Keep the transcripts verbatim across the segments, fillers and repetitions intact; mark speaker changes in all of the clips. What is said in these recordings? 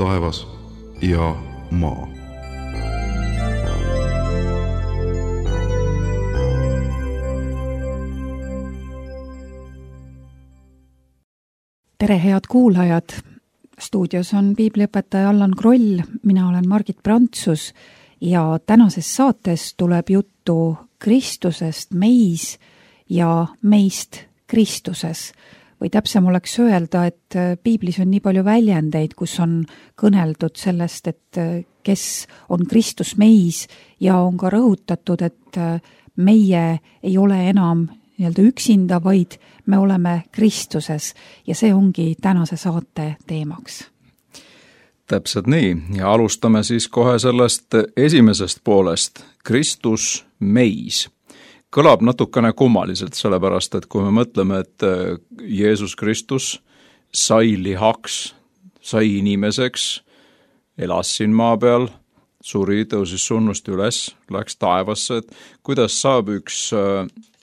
Speaker 1: taevas ja maa.
Speaker 2: Tere, head kuulajad! Stuudios on piibliõpetaja Allan Kroll, mina olen Margit Prantsus ja tänases saates tuleb juttu Kristusest meis ja meist Kristuses. Või täpsem oleks öelda, et piiblis on nii palju väljendeid, kus on kõneldud sellest, et kes on Kristus meis ja on ka rõhutatud, et meie ei ole enam nii-öelda üksinda, vaid me oleme Kristuses ja see ongi tänase saate teemaks.
Speaker 3: Täpselt nii ja alustame siis kohe sellest esimesest poolest, Kristus meis. Kõlab natukene kummaliselt, sellepärast, et kui me mõtleme, et Jeesus Kristus sai lihaks, sai inimeseks, elas siin maa peal, suri, tõusis surnust üles, läks taevasse, et kuidas saab üks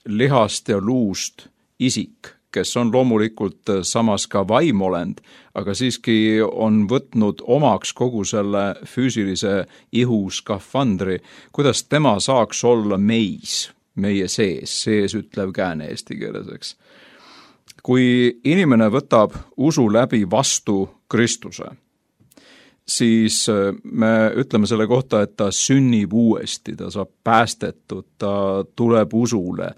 Speaker 3: lihast ja luust isik, kes on loomulikult samas ka vaimolend, aga siiski on võtnud omaks kogu selle füüsilise ihu skafandri, kuidas tema saaks olla meis, meie sees, sees ütlev kääne eesti keeles, eks. Kui inimene võtab usu läbi vastu Kristuse, siis me ütleme selle kohta, et ta sünnib uuesti, ta saab päästetud, ta tuleb usule,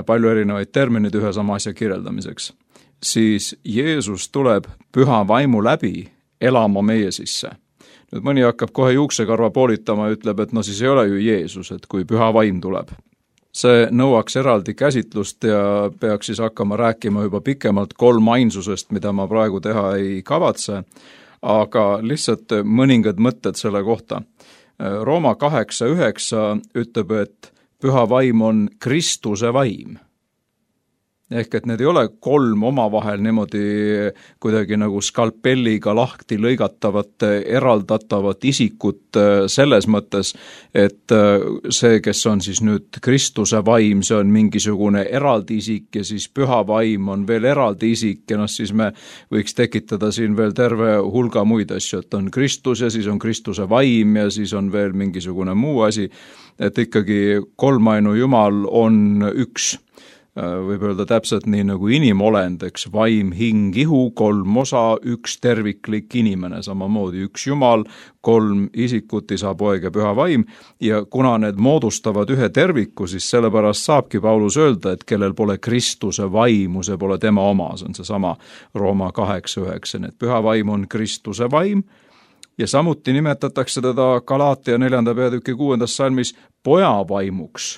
Speaker 3: palju erinevaid terminid ühe sama asja kirjeldamiseks, siis Jeesus tuleb püha vaimu läbi elama meie sisse. Nüüd mõni hakkab kohe juuksekarva poolitama ja ütleb, et no siis ei ole ju Jeesus, et kui püha vaim tuleb. See nõuaks eraldi käsitlust ja peaks siis hakkama rääkima juba pikemalt kolm ainsusest, mida ma praegu teha ei kavatse, aga lihtsalt mõningad mõtted selle kohta. Rooma kaheksa üheksa ütleb, et püha vaim on Kristuse vaim. Ehk et need ei ole kolm omavahel niimoodi kuidagi nagu skalpelliga lahti lõigatavat, eraldatavat isikut selles mõttes, et see, kes on siis nüüd Kristuse vaim, see on mingisugune eraldi isik ja siis püha vaim on veel eraldi isik ja noh, siis me võiks tekitada siin veel terve hulga muid asju, et on Kristus ja siis on Kristuse vaim ja siis on veel mingisugune muu asi, et ikkagi kolmainu Jumal on üks. Võib öelda täpselt nii nagu inimolend, eks, vaim, hing, ihu, kolm osa, üks terviklik inimene, samamoodi üks Jumal, kolm isikut, isa, poeg ja püha vaim, ja kuna need moodustavad ühe terviku, siis sellepärast saabki Paulus öelda, et kellel pole Kristuse vaimu, see pole tema oma, see on see sama Rooma kaheksa üheksa, et püha vaim on Kristuse vaim, ja samuti nimetatakse teda Galaatia neljanda peatüki kuuendas salmis poja vaimuks.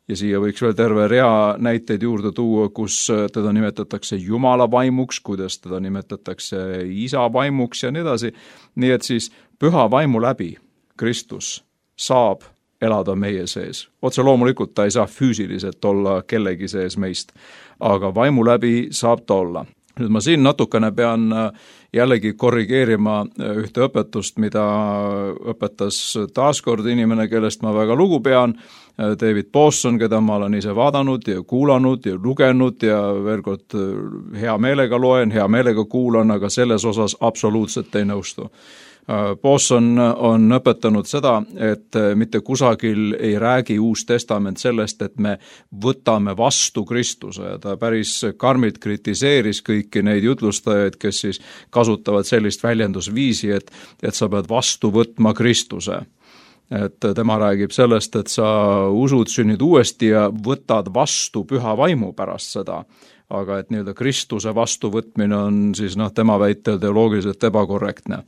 Speaker 3: Ja siia võiks veel terve rea näiteid juurde tuua, kus teda nimetatakse Jumala vaimuks, kuidas teda nimetatakse isa vaimuks ja nii edasi. Nii et siis püha vaimu läbi Kristus saab elada meie sees. Otse loomulikult ta ei saa füüsiliselt olla kellegi sees meist, aga vaimu läbi saab ta olla. Nüüd ma siin natukene pean jällegi korrigeerima ühte õpetust, mida õpetas taaskord inimene, kellest ma väga lugu pean, David Pawson, keda ma olen ise vaadanud ja kuulanud ja lugenud ja veel kord hea meelega loen, hea meelega kuulan, aga selles osas absoluutselt ei nõustu. Pawson on õpetanud seda, et mitte kusagil ei räägi Uus Testament sellest, et me võtame vastu Kristuse. Ta päris karmilt kritiseeris kõiki neid jutlustajaid, kes siis kasutavad sellist väljendusviisi, et, et sa pead vastu võtma Kristuse. Et tema räägib sellest, et sa usud, sünnid uuesti ja võtad vastu püha vaimu pärast seda. Aga et nii-öelda Kristuse vastuvõtmine on siis noh, tema väitel teoloogiliselt ebakorrektne.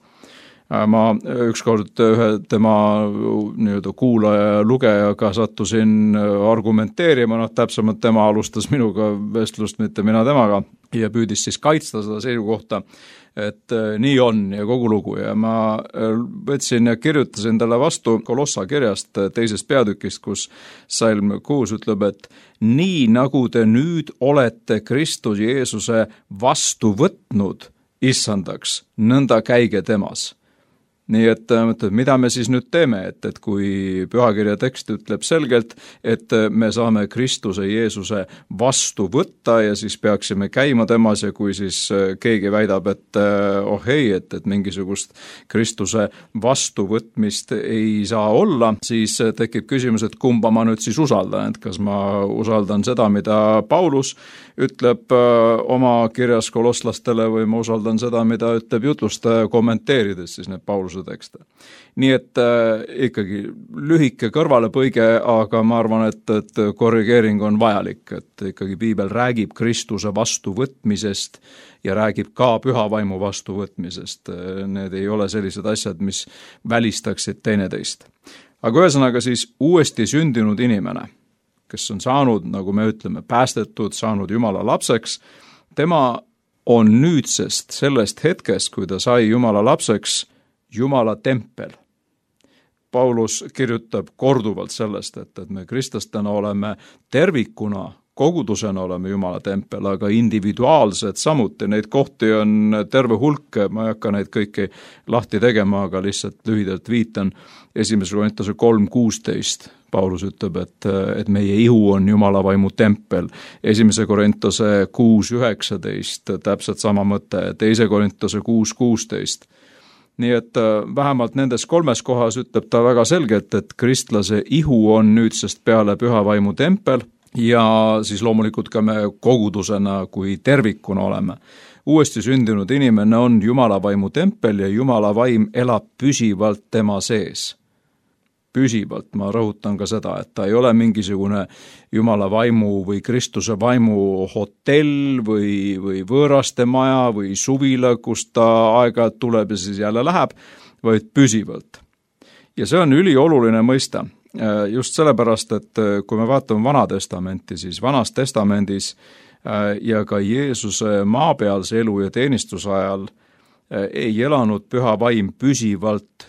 Speaker 3: Ma ükskord ühe tema nii-öelda kuulaja ja lugejaga sattusin argumenteerima, noh täpsemalt tema alustas minuga vestlust, mitte mina temaga, ja püüdis siis kaitsta seda seisukohta, et nii on ja kogu lugu ja ma võtsin ja kirjutasin talle vastu Kolossa kirjast teisest peatükist, kus salm kuus ütleb, et nii nagu te nüüd olete Kristus Jeesuse vastu võtnud issandaks, nõnda käige temas. nii et, et mida me siis nüüd teeme, et, et kui pühakirja tekst ütleb selgelt, et me saame Kristuse Jeesuse vastu võtta ja siis peaksime käima temas ja kui siis keegi väidab, et oh ei, et, et mingisugust Kristuse vastuvõtmist ei saa olla, siis tekib küsimus, et kumba ma nüüd siis usaldan, et kas ma usaldan seda, mida Paulus ütleb oma kirjas kolosslastele või ma usaldan seda, mida ütleb jutlustaja kommenteerides siis need Pauluse tekste. Nii et äh, ikkagi lühike kõrvalepõige, aga ma arvan, et, et korrigeering on vajalik, et ikkagi piibel räägib Kristuse vastuvõtmisest ja räägib ka püha vaimu vastuvõtmisest. Need ei ole sellised asjad, mis välistaksid teineteist. Aga ühesõnaga siis uuesti sündinud inimene, kes on saanud, nagu me ütleme, päästetud, saanud Jumala lapseks, tema on nüüdsest sellest hetkest, kui ta sai Jumala lapseks, Jumala tempel. Paulus kirjutab korduvalt sellest, et, et me kristlastena oleme tervikuna, kogudusena oleme Jumala tempel, aga individuaalsed samuti, neid kohti on terve hulk, ma ei hakka neid kõiki lahti tegema, aga lihtsalt lühidalt viitan esimese Korintuse kolm kuusteist. Paulus ütleb, et, et meie ihu on Jumala vaimu tempel. Esimese Korintuse kuus üheksateist, täpselt sama mõte, teise Korintuse kuus kuusteist. Nii et vähemalt nendes kolmes kohas ütleb ta väga selgelt, et kristlase ihu on nüüdsest peale püha vaimu tempel ja siis loomulikult ka me kogudusena kui tervikuna oleme. Uuesti sündinud inimene on Jumala vaimu tempel ja Jumala vaim elab püsivalt tema sees. Püsivalt, ma rõhutan ka seda, et ta ei ole mingisugune Jumala vaimu või Kristuse vaimu hotell või, või võõraste maja või suvila, kus ta aeg-ajalt tuleb ja siis jälle läheb, vaid püsivalt. Ja see on ülioluline mõista, just sellepärast, et kui me vaatame Vana testamenti, siis Vanas testamendis ja ka Jeesuse maapealse elu ja teenistuse ajal ei elanud püha vaim püsivalt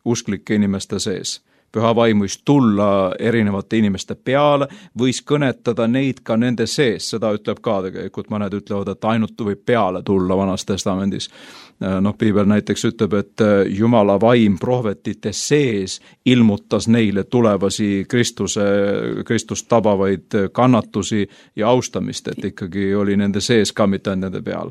Speaker 3: usklike inimeste sees. Püha vaim võis tulla erinevate inimeste peale, võis kõnetada neid ka nende sees, seda ütleb ka tegelikult, mõned ütlevad, et ainult võib peale tulla Vanas testamendis. Noh, piibel näiteks ütleb, et Jumala vaim prohvetite sees ilmutas neile tulevasi Kristuse, Kristust tabavaid kannatusi ja austamist, et ikkagi oli nende sees ka mitte nende peal.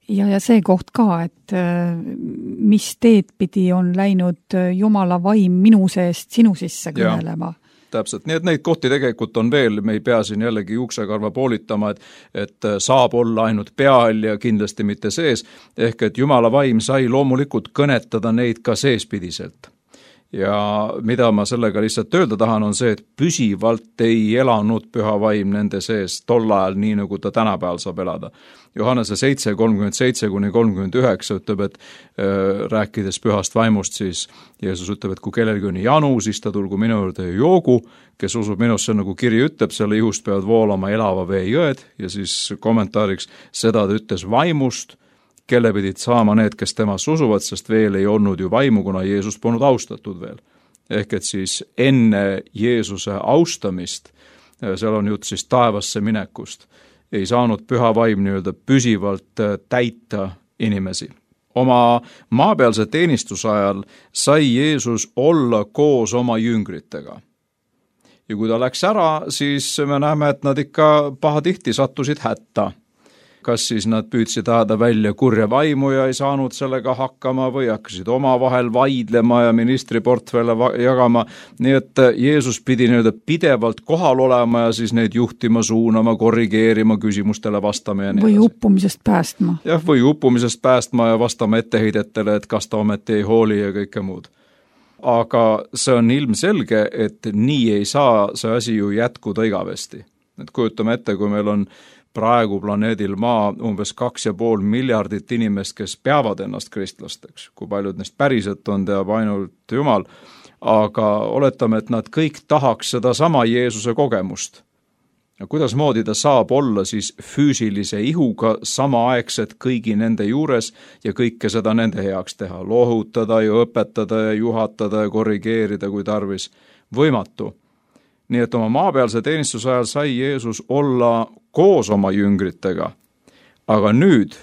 Speaker 2: Ja, ja see koht ka, et mis teed pidi on läinud Jumala vaim minu seest sinu sisse kõnelema.
Speaker 3: Täpselt, nii et neid kohti tegelikult on veel, me ei pea siin jällegi juuksekarva poolitama, et, et saab olla ainult peal ja kindlasti mitte sees, ehk et Jumala vaim sai loomulikult kõnetada neid ka seespidiselt. Ja mida ma sellega lihtsalt öelda tahan, on see, et püsivalt ei elanud püha vaim nende sees tol ajal, nii nagu ta tänapäeval saab elada. Johannese seitse kolmkümmend seitse kuni kolmkümmend üheksa ütleb, et äh, rääkides pühast vaimust, siis Jeesus ütleb, et kui kellelgi on janu, siis ta tulgu minu juurde ja joogu, kes usub minusse, nagu kiri ütleb, selle ihust peavad voolama elava vee jõed ja siis kommentaariks seda ta ütles vaimust, kelle pidid saama need, kes temas usuvad, sest veel ei olnud ju vaimu, kuna Jeesus polnud austatud veel. Ehk et siis enne Jeesuse austamist, seal on jutt siis taevasse minekust, ei saanud püha vaim nii-öelda püsivalt täita inimesi. Oma maapealse teenistuse ajal sai Jeesus olla koos oma jüngritega. Ja kui ta läks ära, siis me näeme, et nad ikka pahatihti sattusid hätta. Kas siis nad püüdsid ajada välja kurja vaimu ja ei saanud sellega hakkama või hakkasid omavahel vaidlema ja ministri portfelle jagama. Nii et Jeesus pidi nii-öelda pidevalt kohal olema ja siis neid juhtima, suunama, korrigeerima, küsimustele vastama ja nii.
Speaker 2: Või uppumisest päästma.
Speaker 3: Jah, või uppumisest päästma ja vastama etteheidetele, et kas ta ometi ei hooli ja kõike muud. Aga see on ilmselge, et nii ei saa see asi ju jätkuda igavesti. Et kujutame ette, kui meil on praegu planeedil Maa umbes kaks ja pool miljardit inimest, kes peavad ennast kristlasteks. Kui paljud neist päriselt on, teab ainult Jumal. Aga oletame, et nad kõik tahaks seda sama Jeesuse kogemust. Ja kuidas moodi ta saab olla siis füüsilise ihuga samaaegselt kõigi nende juures ja kõike seda nende heaks teha. Lohutada ja õpetada ja juhatada ja korrigeerida, kui tarvis. Võimatu. Nii et oma maapealse teenistuse ajal sai Jeesus olla koos oma jüngritega. Aga nüüd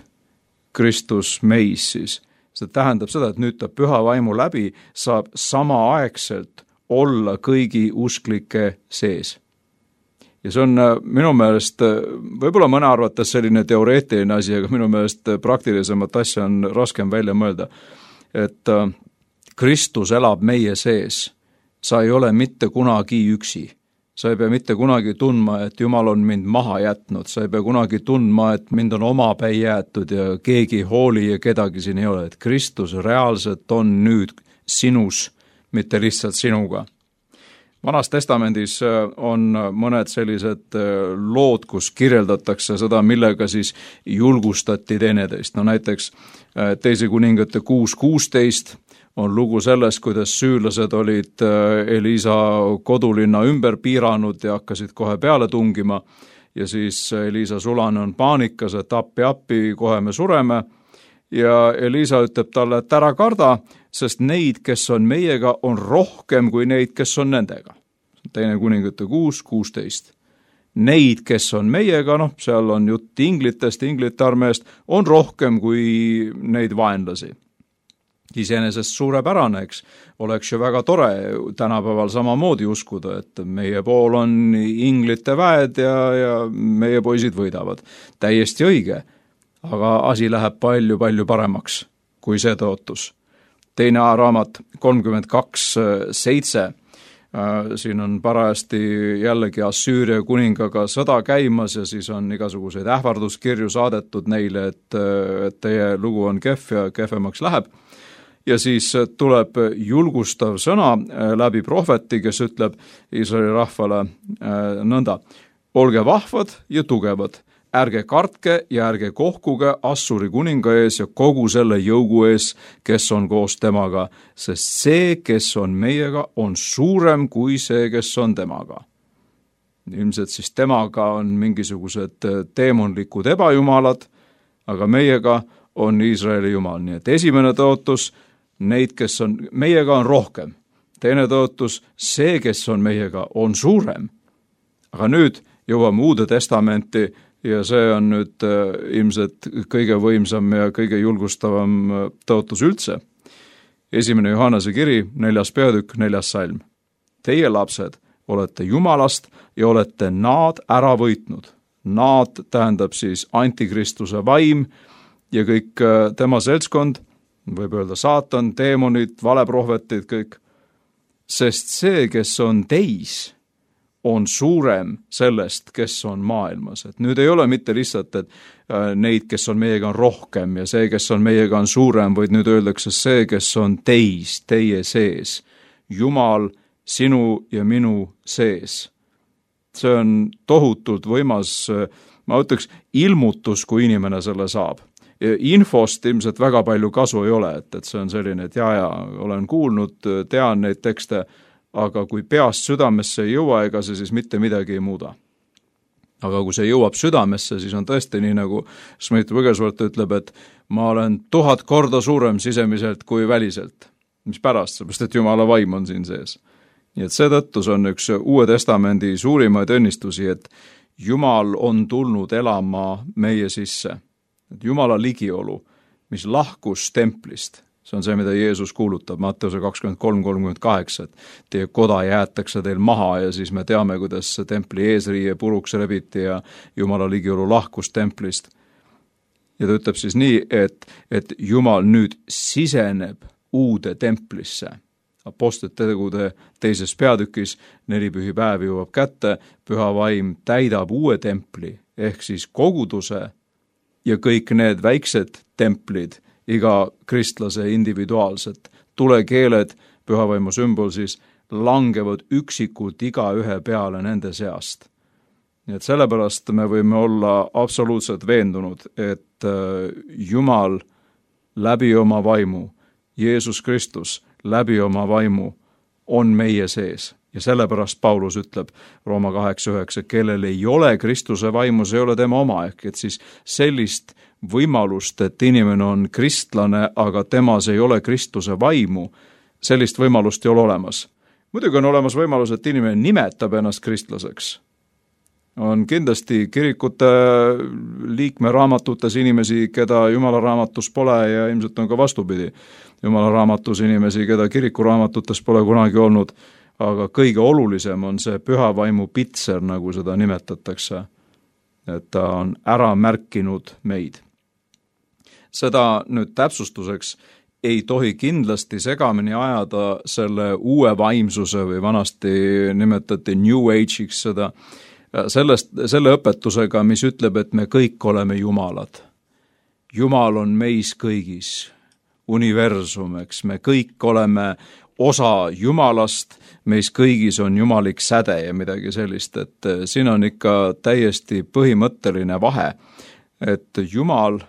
Speaker 3: Kristus meis siis, see see tähendab seda, et nüüd ta püha vaimu läbi saab samaaegselt olla kõigi usklike sees. Ja see on minu meelest, võib-olla mõne arvates selline teoreetiline asi, aga minu meelest praktilisemat asja on raskem välja mõelda, et Kristus elab meie sees. Sa ei ole mitte kunagi üksi. Sa ei pea mitte kunagi tundma, et Jumal on mind maha jätnud. Sa ei pea kunagi tundma, et mind on omapäi jäetud ja keegi hooli ja kedagi siin ei ole. Et Kristus reaalselt on nüüd sinus, mitte lihtsalt sinuga. Vanas testamendis on mõned sellised lood, kus kirjeldatakse seda, millega siis julgustati teineteist. No näiteks teise kuningate kuus kuusteist on lugu sellest, kuidas süürlased olid Elisa kodulinna ümber piiranud ja hakkasid kohe peale tungima. Ja siis Elisa sulane on paanikas, et appi, appi, kohe me sureme. Ja Elisa ütleb talle, et ära karda, sest neid, kes on meiega, on rohkem kui neid, kes on nendega. Teine kuningate kuus kuusteist. Neid, kes on meiega, noh, seal on jutt inglitest, inglite armeest, on rohkem kui neid vaenlasi. Iseenesest suurepärane, eks, oleks ju väga tore tänapäeval samamoodi uskuda, et meie pool on inglite väed ja, ja meie poisid võidavad. Täiesti õige, aga asi läheb palju, palju paremaks kui see tõotus. Teine raamat kolmkümmend kaks seitse. Siin on parajasti jällegi Assüüria kuningaga sõda käimas ja siis on igasuguseid ähvarduskirju saadetud neile, et, et teie lugu on kehv ja kehvemaks läheb. Ja siis tuleb julgustav sõna läbi prohveti, kes ütleb Iisraeli rahvale nõnda. Olge vahvad ja tugevad, ärge kartke ja ärge kohkuge Assuri kuninga ees ja kogu selle jõugu ees, kes on koos temaga, sest see, kes on meiega, on suurem kui see, kes on temaga. Ilmselt siis temaga on mingisugused teemonlikud ebajumalad, aga meiega on Iisraeli jumal. Nii et esimene tõotus, neid, kes on meiega, on rohkem. Teine tõotus, see, kes on meiega, on suurem. Aga nüüd jõuame Uude testamenti ja see on nüüd äh, ilmselt kõige võimsam ja kõige julgustavam äh, tõotus üldse. Esimene Johannese kiri, neljas peatükk, neljas salm. Teie lapsed olete Jumalast ja olete naad ära võitnud. Naad tähendab siis antikristuse vaim ja kõik äh, tema seltskond, võib öelda saatan, teemonid, valeprohvetid, kõik. Sest see, kes on teis, on suurem sellest, kes on maailmas. Et nüüd ei ole mitte lihtsalt, et neid, kes on meiega, on rohkem ja see, kes on meiega, on suurem, vaid nüüd öeldakse see, kes on teis, teie sees. Jumal sinu ja minu sees. See on tohutult võimas, ma ütleks, ilmutus, kui inimene selle saab. Infost ilmselt väga palju kasu ei ole, et, et see on selline, et ja, ja olen kuulnud, tean neid tekste, aga kui peast südamesse ei jõua, ega see siis mitte midagi ei muuda. Aga kui see jõuab südamesse, siis on tõesti nii, nagu Smith Wigglesworth ütleb, et ma olen tuhat korda suurem sisemiselt kui väliselt. Mis pärast, seepärast, et Jumala vaim on siin sees. Nii et seetõttu see on üks Uue testamendi suurimaid õnnistusi, et Jumal on tulnud elama meie sisse. Jumala ligiolu, mis lahkus templist, see on see, mida Jeesus kuulutab, Matteuse kakskümmend kolm kolmkümmend kaheksa, et teie koda jäetakse teil maha ja siis me teame, kuidas templi eesriie puruks rebiti ja Jumala ligiolu lahkus templist. Ja ta ütleb siis nii, et, et Jumal nüüd siseneb uude templisse. Apostlite tegude teises peatükis neli pühipäevi jõuab kätte, püha vaim täidab uue templi, ehk siis koguduse ja kõik need väiksed templid, iga kristlase individuaalset, tulekeeled, pühavaimu sümbol siis, langevad üksikult iga ühe peale nende seast. Nii et sellepärast me võime olla absoluutselt veendunud, et Jumal läbi oma vaimu, Jeesus Kristus läbi oma vaimu on meie sees. Ja sellepärast Paulus ütleb Rooma kaheksa üheksa, kellel ei ole Kristuse vaimus, ei ole tema oma, ehk et siis sellist võimalust, et inimene on kristlane, aga temas ei ole Kristuse vaimu, sellist võimalust ei ole olemas. Muidugi on olemas võimalus, et inimene nimetab ennast kristlaseks, on kindlasti kirikute liikme raamatutes inimesi, keda Jumala raamatus pole ja ilmselt on ka vastupidi. Jumala raamatus inimesi, keda kiriku raamatutes pole kunagi olnud, aga kõige olulisem on see püha vaimu pitser, nagu seda nimetatakse, et ta on ära märkinud meid. Seda nüüd täpsustuseks ei tohi kindlasti segamini ajada selle uue vaimsuse või vanasti nimetati New Age'iks seda, sellest, selle õpetusega, mis ütleb, et me kõik oleme jumalad. Jumal on meis kõigis, universum, eks, me kõik oleme osa Jumalast, meis kõigis on jumalik säde ja midagi sellist, et siin on ikka täiesti põhimõtteline vahe, et Jumal,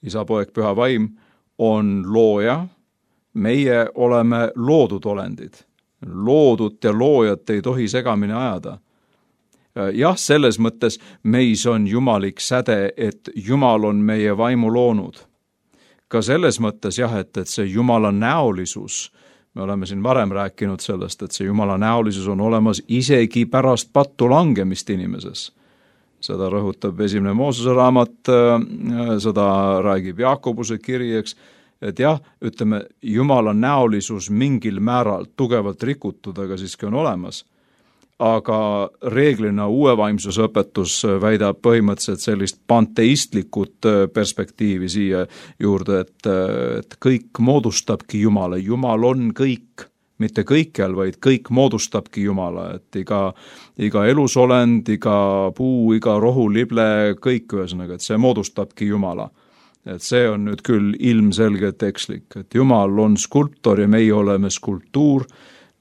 Speaker 3: Isa, Poeg, Püha Vaim, on looja, meie oleme loodud olendid. Loodut ja loojat ei tohi segamini ajada. Jah, selles mõttes meis on jumalik säde, et Jumal on meie vaimu loonud. Ka selles mõttes jah, et, et see Jumala näolisus, me oleme siin varem rääkinud sellest, et see Jumala näolisus on olemas isegi pärast pattu langemist inimeses. Seda rõhutab esimene Moosese raamat, seda räägib Jaakobuse kiri, eks, et jah, ütleme, Jumala näolisus mingil määral tugevalt rikutud, aga siiski on olemas. Aga reeglina uue vaimsuse õpetus väidab põhimõtteliselt sellist panteistlikut perspektiivi siia juurde, et, et kõik moodustabki Jumala. Jumal on kõik, mitte kõikjal, vaid kõik moodustabki Jumala, et iga, iga elusolend, iga puu, iga rohulible, kõik ühesõnaga, et see moodustabki Jumala. Et see on nüüd küll ilmselgelt ekslik, et Jumal on skulptor ja meie oleme skulptuur.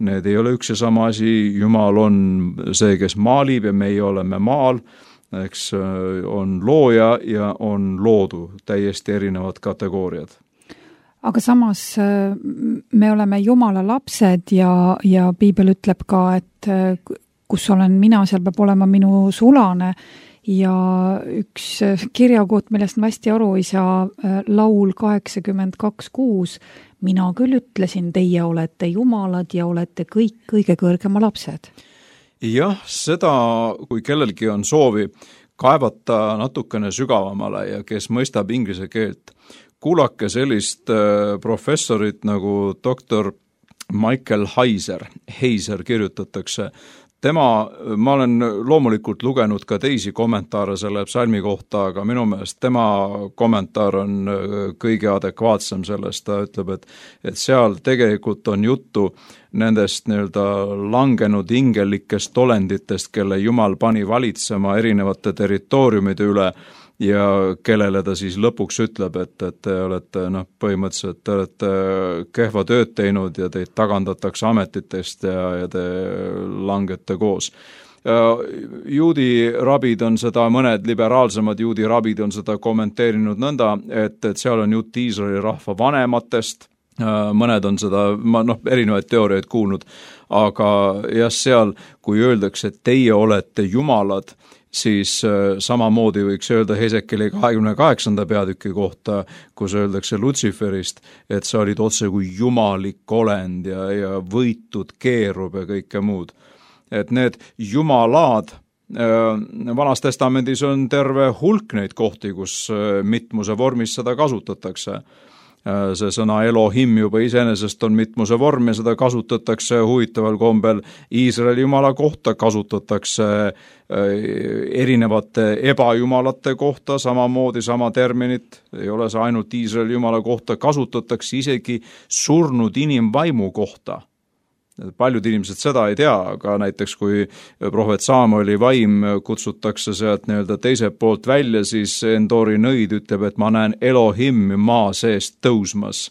Speaker 3: Need ei ole üks ja sama asi, Jumal on see, kes maalib ja meie oleme maal, eks on looja ja on loodu, täiesti erinevad kategooriad.
Speaker 2: Aga samas me oleme Jumala lapsed ja, ja Piibel ütleb ka, et kus olen mina, seal peab olema minu sulane ja üks kirjakoht, millest ma hästi aru ei saa, laul kaheksakümmend kaks kuus, mina küll ütlesin, teie olete jumalad ja olete kõik kõige kõrgema lapsed.
Speaker 3: Jah, seda, kui kellelgi on soovi kaevata natukene sügavamale ja kes mõistab inglise keelt, kuulake sellist professorit nagu doktor Michael Heiser, Heiser kirjutatakse. Tema, ma olen loomulikult lugenud ka teisi kommentaare selle psalmi kohta, aga minu meelest tema kommentaar on kõige adekvaatsem sellest, ta ütleb, et, et seal tegelikult on juttu nendest nii-öelda langenud ingelikest olenditest, kelle Jumal pani valitsema erinevate territooriumide üle ja kellele ta siis lõpuks ütleb, et, et te olete, noh, põhimõtteliselt te olete kehva tööd teinud ja teid tagandatakse ametitest ja, ja te langete koos. Juudi rabid on seda, mõned liberaalsemad juudi rabid on seda kommenteerinud nõnda, et, et seal on jutt Iisraeli rahva vanematest, mõned on seda, ma noh, erinevaid teooriaid kuulnud, aga jah, seal, kui öeldakse, et teie olete jumalad, siis samamoodi võiks öelda Hesekeli kahekümne kaheksanda peatüki kohta, kus öeldakse Lutsiferist, et sa olid otse kui jumalik olend ja, ja võitud keerub ja kõike muud. Et need jumalad, Vanas testamendis on terve hulk neid kohti, kus mitmuse vormis seda kasutatakse. See sõna Elohim juba iseenesest on mitmuse vorm ja seda kasutatakse huvitaval kombel Iisraeli jumala kohta, kasutatakse erinevate ebajumalate kohta, samamoodi sama terminit, ei ole see ainult Iisraeli jumala kohta, kasutatakse isegi surnud inimvaimu kohta. Paljud inimesed seda ei tea, aga näiteks kui prohvet Samueli vaim kutsutakse sealt nii-öelda teiselt poolt välja, siis Endori nõid ütleb, et ma näen Elohim maa seest tõusmas.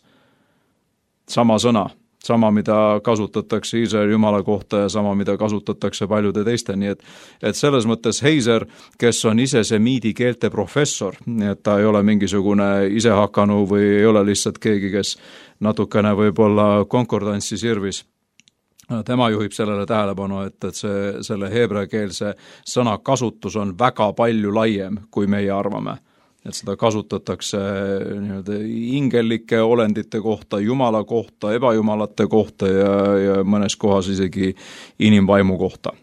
Speaker 3: Sama sõna, sama mida kasutatakse Iisraeli jumala kohta ja sama mida kasutatakse paljude teiste, nii et, et selles mõttes Heiser, kes on ise semiidi keelte professor, nii et ta ei ole mingisugune isehakanu või ei ole lihtsalt keegi, kes natukene võib-olla konkordantsi sirvis. Tema juhib sellele tähelepanu, et, et see, selle heebreakeelse sõna kasutus on väga palju laiem, kui meie arvame. Et seda kasutatakse nii-öelda ingelike olendite kohta, jumala kohta, ebajumalate kohta ja, ja mõnes kohas isegi inimvaimu kohta.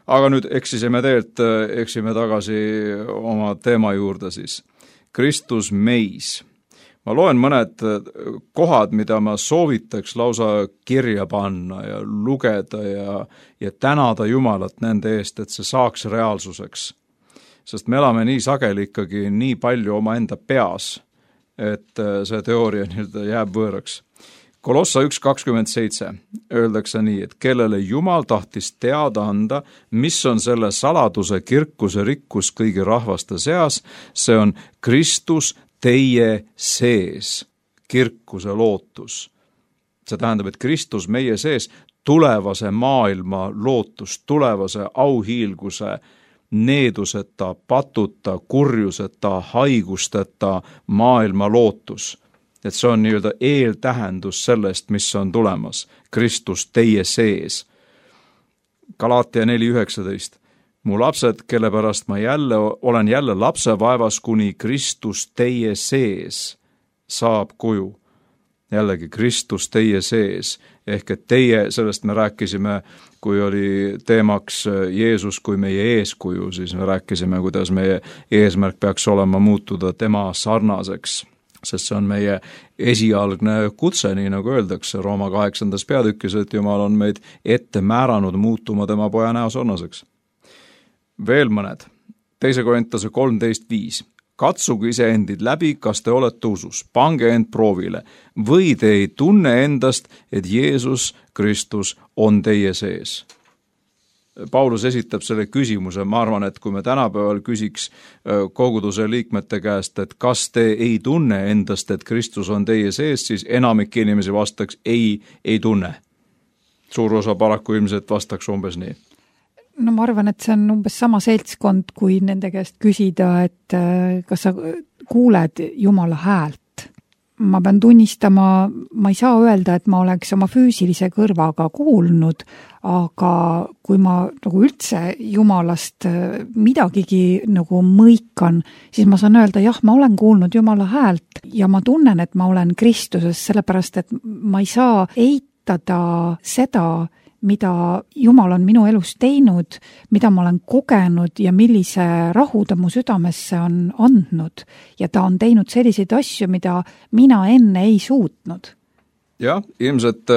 Speaker 3: aga nüüd eksisime teelt, eksime tagasi oma teema juurde siis. Kristus meis. Ma loen mõned kohad, mida ma soovitaks lausa kirja panna ja lugeda ja, ja tänada Jumalat nende eest, et see saaks reaalsuseks. Sest me elame nii sageli ikkagi nii palju oma enda peas, et see teooria nii-öelda jääb võõraks. Kolossa üks kakskümmend seitse öeldakse nii, et kellele Jumal tahtis teada anda, mis on selle saladuse kirkuse rikkus kõigi rahvaste seas, see on Kristus teie sees, kirkuse lootus. See tähendab, et Kristus meie sees tulevase maailma lootus, tulevase auhiilguse, needuseta, patuta, kurjuseta, haigusteta maailma lootus. Et see on nii-öelda eeltähendus sellest, mis on tulemas. Kristus teie sees. Galaatia neli üheksateist. Mu lapsed, kelle pärast ma jälle, olen jälle lapsevaevas, kuni Kristus teie sees saab kuju. Jällegi Kristus teie sees. Ehk et teie, sellest me rääkisime, kui oli teemaks Jeesus kui meie eeskuju, siis me rääkisime, kuidas meie eesmärk peaks olema muutuda tema sarnaseks. Sest see on meie esialgne kutse, nii nagu öeldakse Rooma kaheksandas peatükis, et Jumal on meid ette määranud muutuma tema poja näo sarnaseks. Veel mõned. Teise Korintuse kolmteist viis. Katsuge iseendid läbi, kas te olete usus. Pange end proovile. Või te ei tunne endast, et Jeesus Kristus on teie sees. Paulus esitab selle küsimuse, ma arvan, et kui me tänapäeval küsiks koguduse liikmete käest, et kas te ei tunne endast, et Kristus on teie sees, siis enamik inimesi vastaks ei, ei tunne. Suur osa paraku ilmselt vastaks umbes nii.
Speaker 2: No ma arvan, et see on umbes sama seltskond, kui nende käest küsida, et kas sa kuuled Jumala häält. Ma pean tunnistama, ma ei saa öelda, et ma oleks oma füüsilise kõrvaga kuulnud, aga kui ma nagu üldse Jumalast midagigi nagu mõikan, siis ma saan öelda, jah, ma olen kuulnud Jumala häält ja ma tunnen, et ma olen Kristuses, sellepärast, et ma ei saa eitada seda, mida Jumal on minu elus teinud, mida ma olen kogenud ja millise rahu ta mu südamesse on andnud. Ja ta on teinud selliseid asju, mida mina enne ei suutnud.
Speaker 3: Jah, ilmselt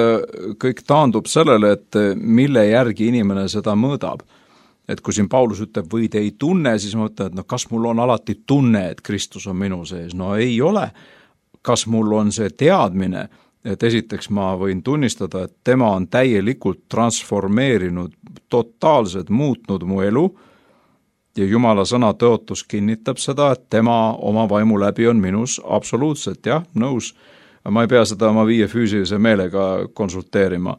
Speaker 3: kõik taandub sellele, et mille järgi inimene seda mõõdab. Et kui siin Paulus ütleb, või te ei tunne, siis ma mõtlen, et no kas mul on alati tunne, et Kristus on minu sees? No ei ole. Kas mul on see teadmine, et esiteks ma võin tunnistada, et tema on täielikult transformeerinud, totaalselt muutnud mu elu ja Jumala sõna tõotus kinnitab seda, et tema oma vaimu läbi on minus absoluutselt, jah, nõus. Ma ei pea seda oma viie füüsilise meelega konsulteerima.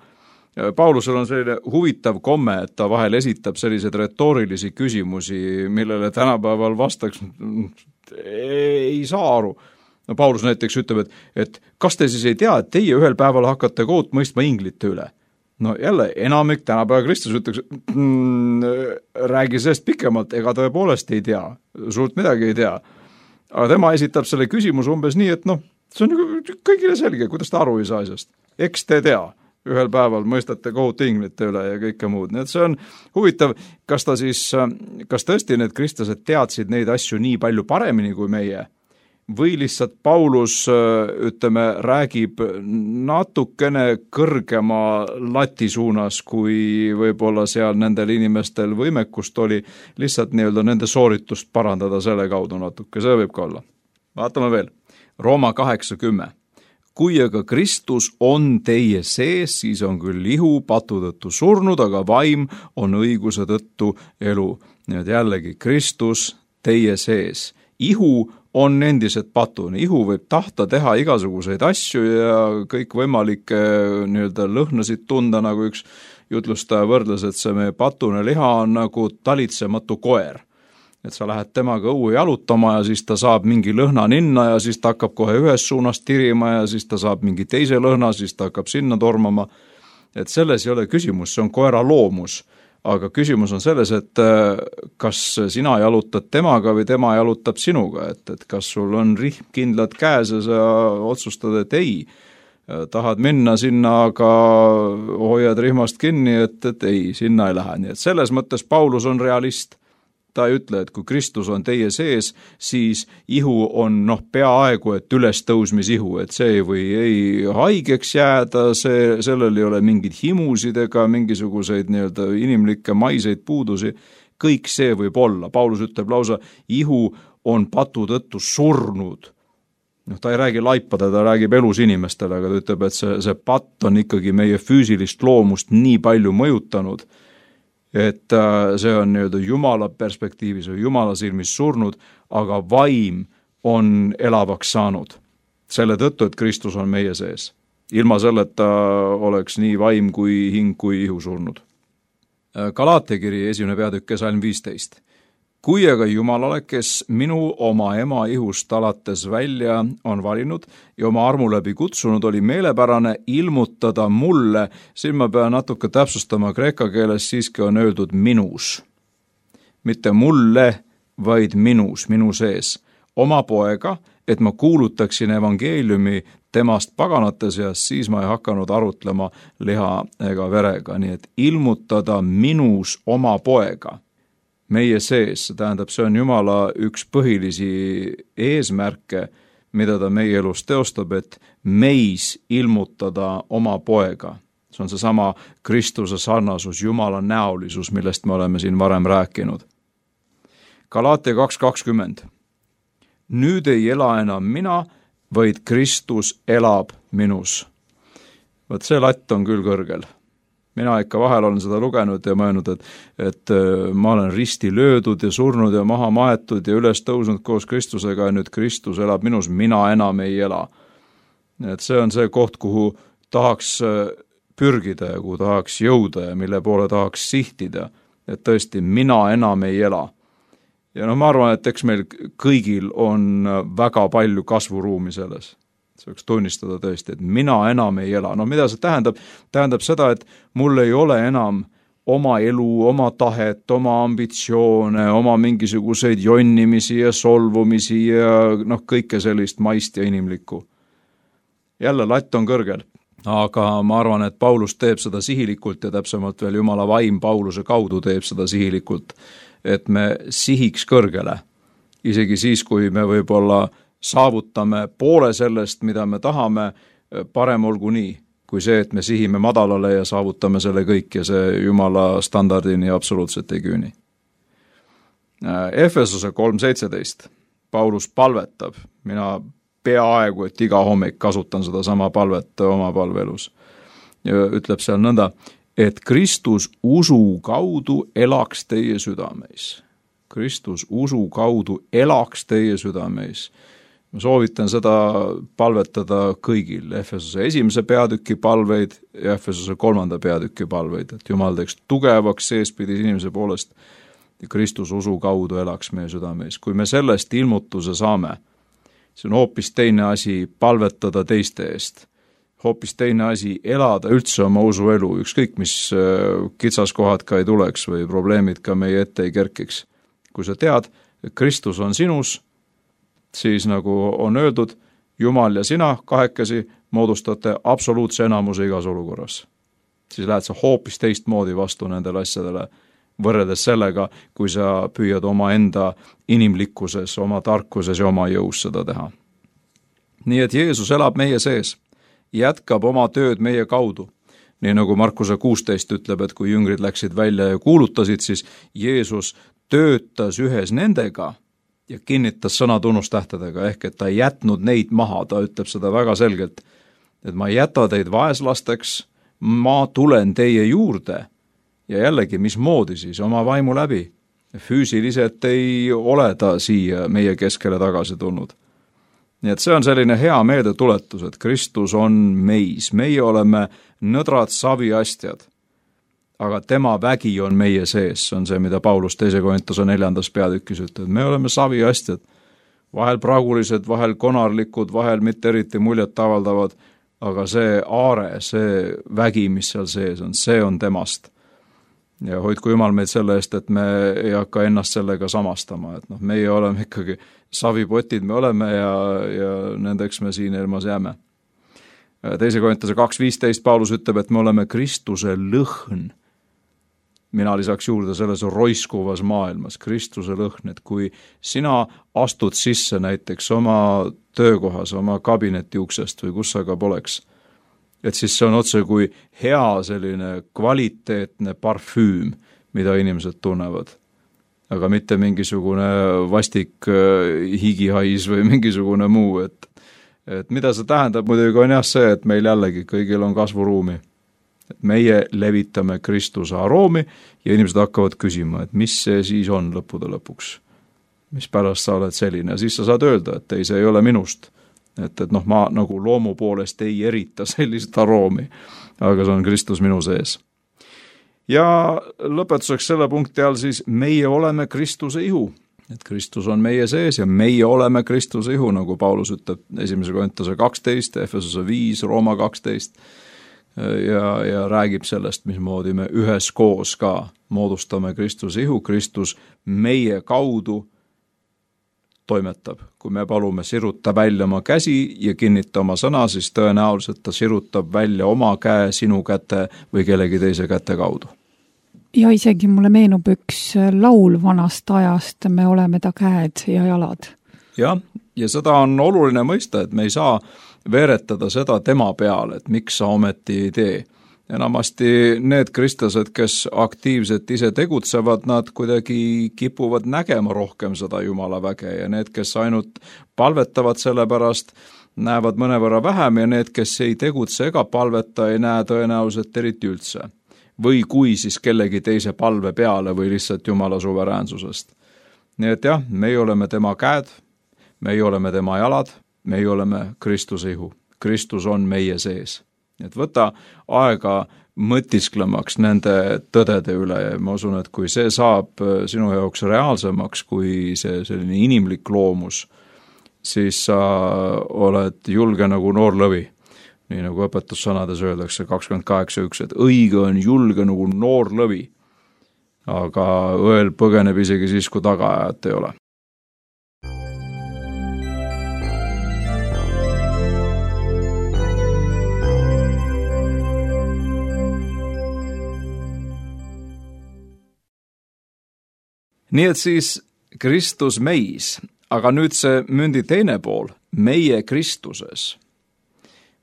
Speaker 3: Paulusel on selline huvitav komme, et ta vahel esitab selliseid retoorilisi küsimusi, millele tänapäeval vastaks ei saa aru. No Paulus näiteks ütleb, et, et kas te siis ei tea, et teie ühel päeval hakkate kohut mõistma inglite üle? No jälle, enamik tänapäeva Kristus ütleks, mm, räägi sellest pikemalt, ega tõepoolest ei tea, suurt midagi ei tea. Aga tema esitab selle küsimuse umbes nii, et noh, see on kõigile selge, kuidas ta aru ei saa asjast. Eks te tea, ühel päeval mõistate kohut inglite üle ja kõike muud. Nii et see on huvitav, kas ta siis, kas tõesti need kristlased teadsid neid asju nii palju paremini kui meie, või lihtsalt Paulus, ütleme, räägib natukene kõrgema lati suunas, kui võib-olla seal nendel inimestel võimekust oli lihtsalt nii-öelda nende sooritust parandada selle kaudu natuke, see võib ka olla. Vaatame veel. Rooma kaheksakümmend. Kui aga Kristus on teie sees, siis on küll ihu patu tõttu surnud, aga vaim on õiguse tõttu elu. Nii et jällegi, Kristus teie sees. Ihu on endiselt patune. Ihu võib tahta teha igasuguseid asju ja kõik võimalikke nii-öelda lõhnasid tunda, nagu üks jutlustaja võrdles, et see meie patune liha on nagu talitsematu koer. Et sa lähed temaga õue jalutama ja siis ta saab mingi lõhna ninna ja siis ta hakkab kohe ühes suunas tirima ja siis ta saab mingi teise lõhna, siis ta hakkab sinna tormama. Et selles ei ole küsimus, see on koera loomus. Aga küsimus on selles, et kas sina jalutad temaga või tema jalutab sinuga, et, et kas sul on rihm kindlad käes ja sa otsustad, et ei, tahad minna sinna, aga hoiad rihmast kinni, et, et ei, sinna ei lähe. Nii et selles mõttes Paulus on realist. Ta ei ütle, et kui Kristus on teie sees, siis ihu on noh, peaaegu, et ülestõusmisihu, et see või ei haigeks jääda, see, sellel ei ole mingid himusid ega mingisuguseid nii-öelda inimlikke maiseid puudusi, kõik see võib olla. Paulus ütleb lausa, ihu on patu tõttu surnud. noh, ta ei räägi laipade, ta räägib elus inimestele, aga ta ütleb, et see, see patt on ikkagi meie füüsilist loomust nii palju mõjutanud, et see on nii-öelda Jumala perspektiivis või Jumala silmis surnud, aga vaim on elavaks saanud. Selle tõttu, et Kristus on meie sees. Ilma selleta oleks nii vaim kui hing kui ihu surnud. Galaatia kiri esimene peatükk salm viisteist. Kui aga Jumalale, kes minu oma ema ihust alates välja on valinud ja oma armu läbi kutsunud, oli meelepärane ilmutada mulle, siin ma pean natuke täpsustama, kreeka keeles siiski on öeldud minus. Mitte mulle, vaid minus, minu sees. Oma poega, et ma kuulutaksin evangeeliumi temast paganate seas, siis ma ei hakanud arutlema liha ega verega, nii et ilmutada minus oma poega. Meie sees, tähendab, see on Jumala üks põhilisi eesmärke, mida ta meie elus teostab, et meis ilmutada oma poega. See on seesama Kristuse sarnasus, Jumala näolisus, millest me oleme siin varem rääkinud. Galaatia kaks kakskümmend. Nüüd ei ela enam mina, vaid Kristus elab minus. Võt see latt on küll kõrgel. Mina ikka vahel olen seda lugenud ja mõelnud, et, et ma olen risti löödud ja surnud ja maha maetud ja üles tõusnud koos Kristusega ja nüüd Kristus elab minus, mina enam ei ela. Et see on see koht, kuhu tahaks pürgida ja kuhu tahaks jõuda ja mille poole tahaks sihtida, et tõesti mina enam ei ela. Ja no ma arvan, et eks meil kõigil on väga palju kasvuruumi selles. See võiks tunnistada tõesti, et mina enam ei ela. No mida see tähendab? Tähendab seda, et mul ei ole enam oma elu, oma tahet, oma ambitsioone, oma mingisuguseid jonnimisi ja solvumisi ja noh, kõike sellist maist ja inimlikku. Jälle latt on kõrgel, aga ma arvan, et Paulus teeb seda sihilikult ja täpsemalt veel Jumala vaim Pauluse kaudu teeb seda sihilikult, et me sihiks kõrgele, isegi siis, kui me võib-olla saavutame poole sellest, mida me tahame, parem olgu nii, kui see, et me sihime madalale ja saavutame selle kõik ja see Jumala standardini absoluutselt ei küüni. Efesose kolm seitseteist. Paulus palvetab. Mina peaaegu, et iga hommik kasutan seda sama palvet oma palvelus. Ja ütleb seal nõnda, et Kristus usu kaudu elaks teie südameis. Kristus usu kaudu elaks teie südameis. Ma soovitan seda palvetada kõigil, Efesose esimese peatüki palveid ja Efesose kolmanda peatüki palveid, et Jumal teeks tugevaks seespidis inimese poolest ja Kristus usu kaudu elaks meie südameis. Kui me sellest ilmutuse saame, see on hoopis teine asi palvetada teiste eest, hoopis teine asi elada üldse oma usuelu, ükskõik mis kitsaskohad ka ei tuleks või probleemid ka meie ette ei kerkiks. Kui sa tead, et Kristus on sinus, siis nagu on öeldud, Jumal ja sina kahekesi moodustate absoluutse enamuse igas olukorras. Siis lähed sa hoopis teistmoodi vastu nendele asjadele, võrreldes sellega, kui sa püüad oma enda inimlikkuses, oma tarkuses ja oma jõus seda teha. Nii et Jeesus elab meie sees, jätkab oma tööd meie kaudu. Nii nagu Markuse kuusteist ütleb, et kui jüngrid läksid välja ja kuulutasid, siis Jeesus töötas ühes nendega ja kinnitas sõna tunnustähtedega, ehk et ta ei jätnud neid maha, ta ütleb seda väga selgelt, et ma ei jäta teid vaeslasteks, ma tulen teie juurde ja jällegi, mismoodi siis oma vaimu läbi. Füüsiliselt ei ole ta siia meie keskele tagasi tulnud. Nii et see on selline hea meeldetuletus, et Kristus on meis, meie oleme nõdrad saviastjad, aga tema vägi on meie sees, see on see, mida Paulus teise Korintuse neljandas peatükis ütleb. Me oleme saviastjad, vahel pragulised, vahel konarlikud, vahel mitte eriti muljet avaldavad, aga see aare, see vägi, mis seal sees on, see on temast. Ja hoidku Jumal meid selle eest, et me ei hakka ennast sellega samastama, et noh, meie oleme ikkagi savipotid, me oleme ja, ja nendeks me siin ilmas jääme. teise Korintuse kaks viisteist Paulus ütleb, et me oleme Kristuse lõhn. Mina lisaks juurde selles roiskuvas maailmas, Kristuse lõhn, et kui sina astud sisse näiteks oma töökohas, oma kabineti uksest või kus sa ka poleks, et siis see on otse kui hea selline kvaliteetne parfüüm, mida inimesed tunnevad. Aga mitte mingisugune vastik higihais või mingisugune muu, et, et mida see tähendab muidugi on jah see, et meil jällegi kõigil on kasvuruumi. Et meie levitame Kristuse aroomi ja inimesed hakkavad küsima, et mis see siis on lõppude lõpuks, mis pärast sa oled selline ja siis sa saad öelda, et ei, see ei ole minust. Et, et noh, ma nagu loomu poolest ei erita sellist aroomi, aga see on Kristus minu sees. Ja lõpetuseks selle punkti all siis meie oleme Kristuse ihu, et Kristus on meie sees ja meie oleme Kristuse ihu, nagu Paulus ütleb esimese Korintuse kaksteist, Efesuse viis, Rooma kaksteist ja, ja räägib sellest, mismoodi me üheskoos ka moodustame Kristuse ihu, Kristus meie kaudu toimetab. Kui me palume siruta välja oma käsi ja kinnita oma sõna, siis tõenäoliselt ta sirutab välja oma käe sinu käte või kellegi teise käte kaudu.
Speaker 2: Ja isegi mulle meenub üks laul vanast ajast, me oleme ta käed ja jalad.
Speaker 3: Jah, ja seda on oluline mõista, et me ei saa veeretada seda tema peale, et miks sa ometi ei tee. Enamasti need kristlased, kes aktiivselt ise tegutsevad, nad kuidagi kipuvad nägema rohkem seda Jumala väge ja need, kes ainult palvetavad selle pärast, näevad mõnevõrra vähem ja need, kes ei tegutse ega palveta, ei näe tõenäoliselt eriti üldse. Või kui siis kellegi teise palve peale või lihtsalt Jumala suveräänsusest. Nii et jah, meie oleme tema käed, meie oleme tema jalad, meie oleme Kristuse ihu. Kristus on meie sees. Et võta aega mõtisklemaks nende tõdede üle ja ma usun, et kui see saab sinu jaoks reaalsemaks kui see selline inimlik loomus, siis sa oled julge nagu noor lõvi. Nii nagu õpetussõnades öeldakse kakskümmend kaheksa üks, et õige on julge nagu noor lõvi, aga õel põgeneb isegi siis, kui tagaajat ei ole. Nii et siis Kristus meis, aga nüüd see mündi teine pool, meie Kristuses.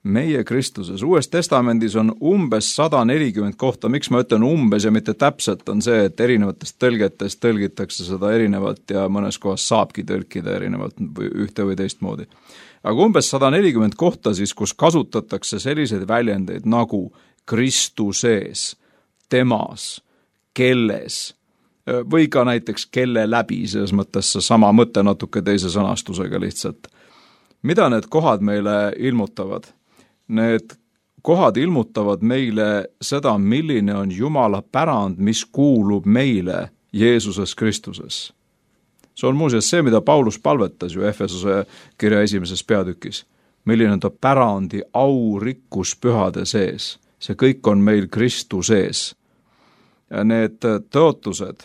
Speaker 3: Meie Kristuses. Uues testamendis on umbes sada nelikümmend kohta, miks ma ütlen umbes ja mitte täpselt, on see, et erinevatest tõlgetest tõlgitakse seda erinevalt ja mõnes kohas saabki tõlkida erinevalt ühte või teist moodi. Aga umbes sada nelikümmend kohta siis, kus kasutatakse selliseid väljendeid nagu Kristuses, temas, kelles, või ka näiteks kelle läbi, selles mõttes see sama mõte natuke teise sõnastusega lihtsalt. Mida need kohad meile ilmutavad? Need kohad ilmutavad meile seda, milline on Jumala pärand, mis kuulub meile Jeesuses Kristuses. See on muuseas see, mida Paulus palvetas ju Efesuse kirja esimeses peatükis. Milline on ta pärandi au rikkus pühade sees. See kõik on meil Kristuses. Ja need tõotused,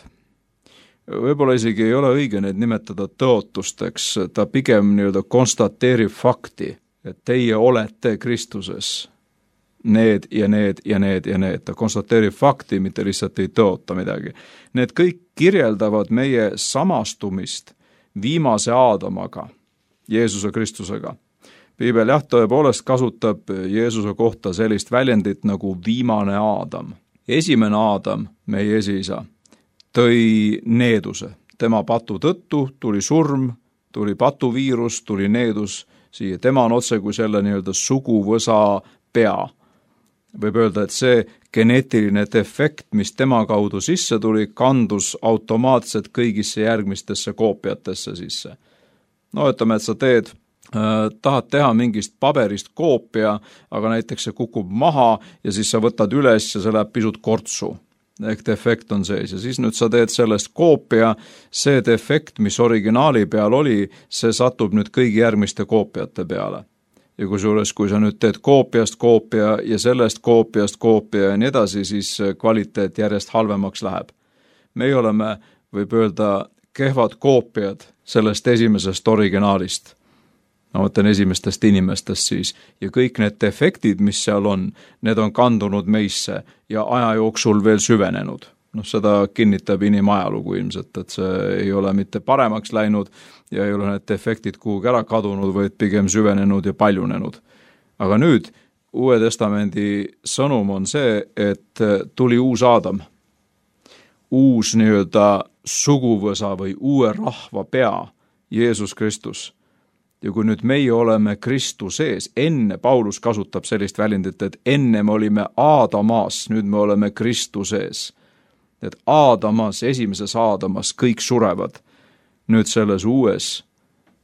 Speaker 3: võib-olla isegi ei ole õige neid nimetada tõotusteks, ta pigem nii-öelda konstateerib fakti, et teie olete Kristuses. Need ja need ja need ja need. Ta konstateerib fakti, mitte lihtsalt ei tõota midagi. Need kõik kirjeldavad meie samastumist viimase Aadamaga, Jeesuse Kristusega. Piibel jah, tõepoolest kasutab Jeesuse kohta sellist väljendit nagu viimane Aadam. Esimene Aadam, meie esiisa, tõi needuse. Tema patu tõttu tuli surm, tuli patuviirus, tuli needus siia. Tema on otse kui selle nii-öelda suguvõsa pea. Võib öelda, et see geneetiline defekt, mis tema kaudu sisse tuli, kandus automaatselt kõigisse järgmistesse koopiatesse sisse. No ütleme, et sa teed tahad teha mingist paberist koopia, aga näiteks see kukub maha ja siis sa võtad üles ja see läheb pisut kortsu. Ehk defekt on sees ja siis nüüd sa teed sellest koopia, see defekt, mis originaali peal oli, see satub nüüd kõigi järgmiste koopiate peale. Ja kusjuures, kui sa nüüd teed koopiast koopia ja sellest koopiast koopia ja nii edasi, siis kvaliteet järjest halvemaks läheb. Meie oleme, võib öelda, kehvad koopiad sellest esimesest originaalist. ma mõtlen esimestest inimestest siis, ja kõik need defektid, mis seal on, need on kandunud meisse ja aja jooksul veel süvenenud. Noh, seda kinnitab inimajalugu ilmselt, et see ei ole mitte paremaks läinud ja ei ole need defektid kuhugi ära kadunud, vaid pigem süvenenud ja paljunenud. Aga nüüd Uue Testamendi sõnum on see, et tuli uus Aadam, uus nii-öelda suguvõsa või uue rahva pea, Jeesus Kristus. Ja kui nüüd meie oleme Kristuses, enne Paulus kasutab sellist väljendit, et enne me olime Aadamas, nüüd me oleme Kristuses. Et Aadamas, esimeses Aadamas kõik surevad. Nüüd selles uues,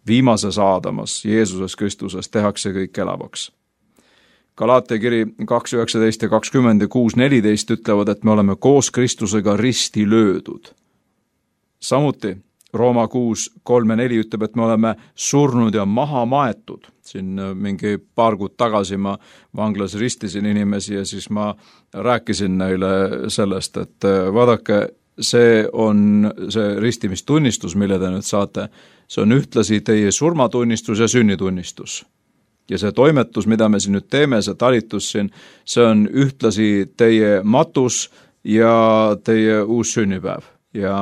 Speaker 3: viimases Aadamas, Jeesuses Kristuses tehakse kõik elavaks. Galaatia kiri kaks üheksateist ja kakskümmend ja kuus neliteist ütlevad, et me oleme koos Kristusega risti löödud. Samuti Rooma kuus kolm ja neli ütleb, et me oleme surnud ja maha maetud. Siin mingi paar kuud tagasi ma vanglas ristisin inimesi ja siis ma rääkisin neile sellest, et vaadake, see on see ristimistunnistus, mille te nüüd saate. See on ühtlasi teie surmatunnistus ja sünnitunnistus. Ja see toimetus, mida me siin nüüd teeme, see talitus siin, see on ühtlasi teie matus ja teie uus sünnipäev. Ja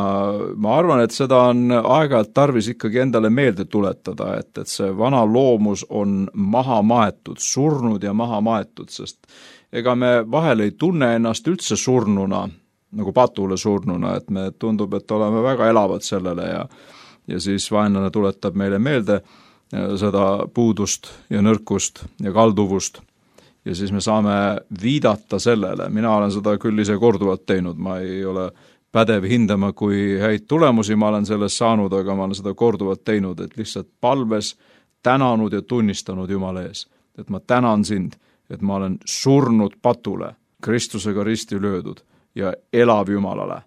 Speaker 3: ma arvan, et seda on aeg-ajalt tarvis ikkagi endale meelde tuletada, et, et see vana loomus on maha maetud, surnud ja maha maetud, sest ega me vahel ei tunne ennast üldse surnuna, nagu patule surnuna, et me tundub, et oleme väga elavad sellele ja, ja siis vaenlane tuletab meile meelde seda puudust ja nõrkust ja kalduvust. Ja siis me saame viidata sellele, mina olen seda küll ise korduvalt teinud, ma ei ole pädev hindama, kui häid tulemusi ma olen sellest saanud, aga ma olen seda korduvalt teinud, et lihtsalt palves tänanud ja tunnistanud Jumala ees. Et ma tänan sind, et ma olen surnud patule, Kristusega risti löödud ja elav Jumalale.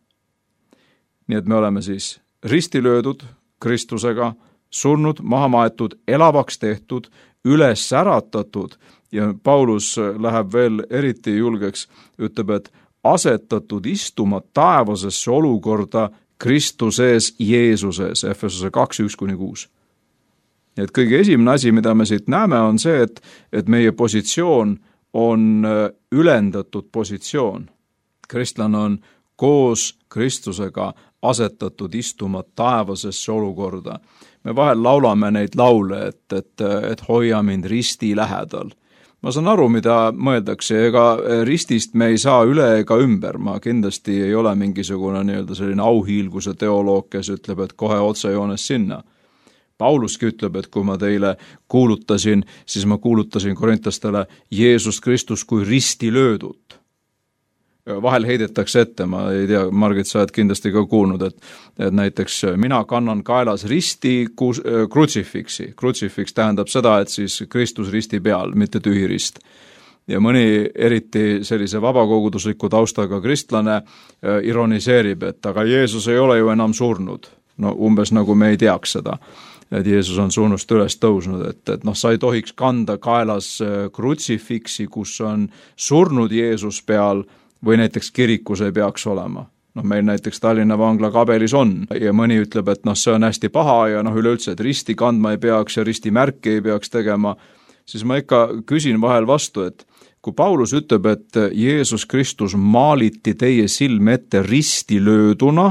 Speaker 3: Nii et me oleme siis risti löödud Kristusega, surnud, maha maetud, elavaks tehtud, üles äratatud ja Paulus läheb veel eriti julgeks, ütleb, et asetatud istuma taevasesse olukorda Kristuses Jeesuses, Efesose kaks üks kuni kuus. Et kõige esimene asi, mida me siit näeme, on see, et, et meie positsioon on ülendatud positsioon. Kristlane on koos Kristusega asetatud istuma taevasesse olukorda. Me vahel laulame neid laule, et, et, et hoia mind risti lähedal. Ma saan aru, mida mõeldakse, ega ristist me ei saa üle ega ümber. Ma kindlasti ei ole mingisugune nii-öelda selline auhiilguse teoloog, kes ütleb, et kohe otsejoones sinna. Pauluski ütleb, et kui ma teile kuulutasin, siis ma kuulutasin korintlastele Jeesus Kristus kui risti löödut. Vahel heidetakse ette, ma ei tea, Margit, sa oled kindlasti ka kuulnud, et, et näiteks mina kannan kaelas risti kus, krutsifiksi. Krutsifiks tähendab seda, et siis Kristus risti peal, mitte tühi rist. Ja mõni eriti sellise vabakogudusliku taustaga kristlane ironiseerib, et aga Jeesus ei ole ju enam surnud. No umbes nagu me ei teaks seda, et Jeesus on surnust üles tõusnud, et, et noh, sa ei tohiks kanda kaelas krutsifiksi, kus on surnud Jeesus peal, või näiteks kirikus ei peaks olema. Noh, meil näiteks Tallinna vangla kabelis on ja mõni ütleb, et noh, see on hästi paha ja noh, üleüldse, et risti kandma ei peaks ja ristimärki ei peaks tegema, siis ma ikka küsin vahel vastu, et kui Paulus ütleb, et Jeesus Kristus maaliti teie silme ette risti lööduna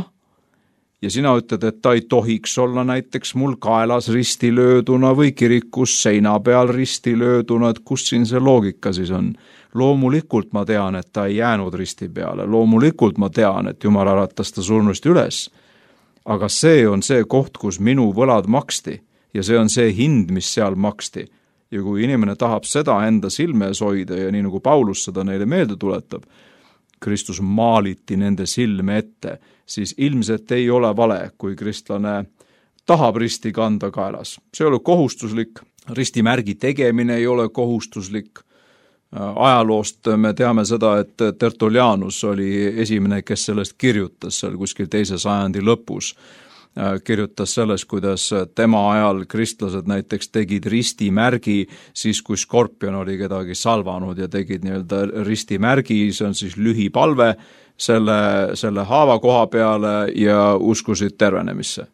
Speaker 3: ja sina ütled, et ta ei tohiks olla näiteks mul kaelas risti lööduna või kirikus seina peal risti lööduna, et kus siin see loogika siis on? Loomulikult ma tean, et ta ei jäänud risti peale, loomulikult ma tean, et Jumal äratas ta surnust üles, aga see on see koht, kus minu võlad maksti ja see on see hind, mis seal maksti. Ja kui inimene tahab seda enda silme ees hoida ja nii nagu Paulus seda neile meelde tuletab, Kristus maaliti nende silme ette, siis ilmselt ei ole vale, kui kristlane tahab risti kanda kaelas. See ei ole kohustuslik, ristimärgi tegemine ei ole kohustuslik. Ajaloost me teame seda, et Tertullianus oli esimene, kes sellest kirjutas seal kuskil teise sajandi lõpus. Kirjutas sellest, kuidas tema ajal kristlased näiteks tegid ristimärgi siis, kui skorpion oli kedagi salvanud ja tegid nii-öelda ristimärgi, see on siis lühipalve selle, selle haava koha peale ja uskusid tervenemisse.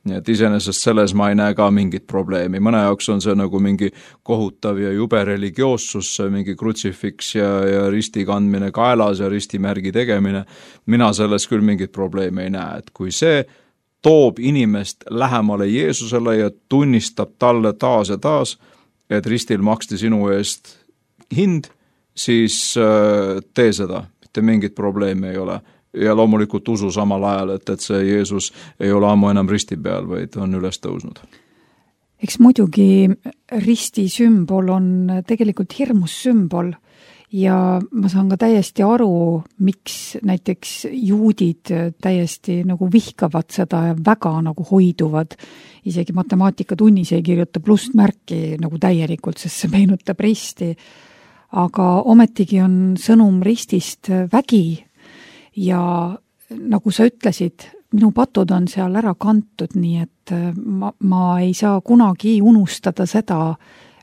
Speaker 3: nii et iseenesest selles ma ei näe ka mingit probleemi, mõne jaoks on see nagu mingi kohutav ja jube religioossus, mingi krutsifiks ja, ja risti kandmine kaelas ja ristimärgi tegemine, mina selles küll mingit probleemi ei näe, et kui see toob inimest lähemale Jeesusele ja tunnistab talle taas ja taas, et ristil maksti sinu eest hind, siis tee seda, mitte mingit probleemi ei ole. Ja loomulikult usu samal ajal, et, et see Jeesus ei ole ammu enam risti peal, vaid on üles tõusnud.
Speaker 2: Eks muidugi risti sümbol on tegelikult hirmus sümbol ja ma saan ka täiesti aru, miks näiteks juudid täiesti nagu vihkavad seda ja väga nagu hoiduvad. Isegi matemaatikatunnis ei kirjuta plussmärki nagu täielikult, sest see meenutab risti. Aga ometigi on sõnum ristist vägi. Ja nagu sa ütlesid, minu patud on seal ära kantud, nii et ma, ma ei saa kunagi unustada seda,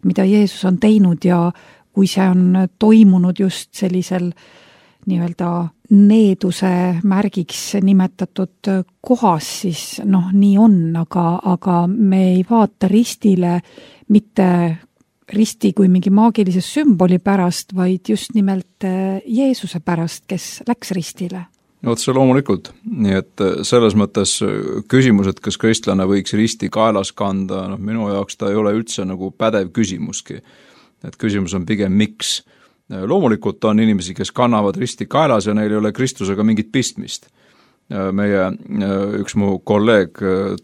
Speaker 2: mida Jeesus on teinud ja kui see on toimunud just sellisel nii-öelda needuse märgiks nimetatud kohas, siis noh, nii on, aga, aga me ei vaata ristile mitte risti kui mingi maagilise sümboli pärast, vaid just nimelt Jeesuse pärast, kes läks ristile.
Speaker 3: No otse loomulikult, nii et selles mõttes küsimus, et kas kristlane võiks risti kaelas kanda, noh, minu jaoks ta ei ole üldse nagu pädev küsimuski. Et küsimus on pigem miks. Loomulikult on inimesi, kes kannavad risti kaelas ja neil ei ole Kristusega mingit pistmist. Meie üks mu kolleeg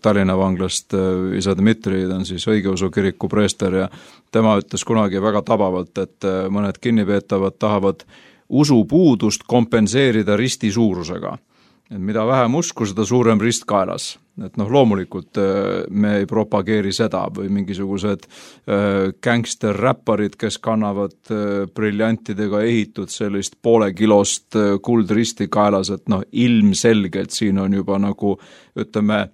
Speaker 3: Tallinna vanglast, isa Dmitri, ta on siis õigeusu kiriku preester ja tema ütles kunagi väga tabavalt, et mõned kinnipeetavad tahavad usupuudust kompenseerida risti suurusega. Et mida vähem usku, seda suurem rist kaelas. Et noh, loomulikult me ei propageeri seda või mingisugused gangster-räpparid, kes kannavad briljantidega ehitud sellist poole kilost kuldristi kaelas, et noh, ilmselgelt siin on juba nagu, ütleme,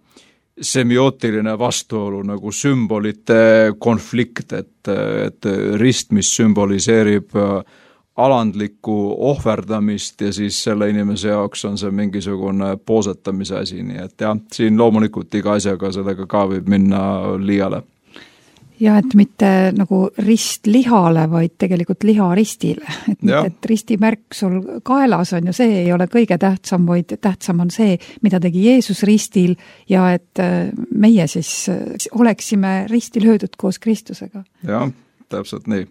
Speaker 3: semiootiline vastuolu, nagu sümbolite konflikt, et, et rist, mis symboliseerib alandlikku ohverdamist ja siis selle inimese jaoks on see mingisugune poosetamise asi, nii et jah, siin loomulikult iga asjaga sellega ka võib minna liiale.
Speaker 2: Ja et mitte nagu rist lihale, vaid tegelikult liha ristile. Et, mitte, et ristimärk sul kaelas on ja see ei ole kõige tähtsam, vaid tähtsam on see, mida tegi Jeesus ristil ja et meie siis oleksime ristil löödud koos Kristusega.
Speaker 3: Jah, täpselt nii.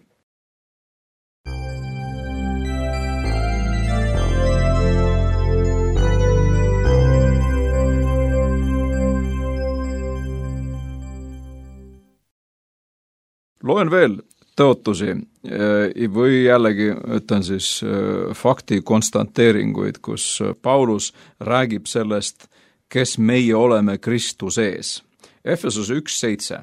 Speaker 3: Loen veel tõotusi või jällegi ütlen siis fakti konstanteeringuid, kus Paulus räägib sellest, kes meie oleme Kristus ees. Efesos üks seitse.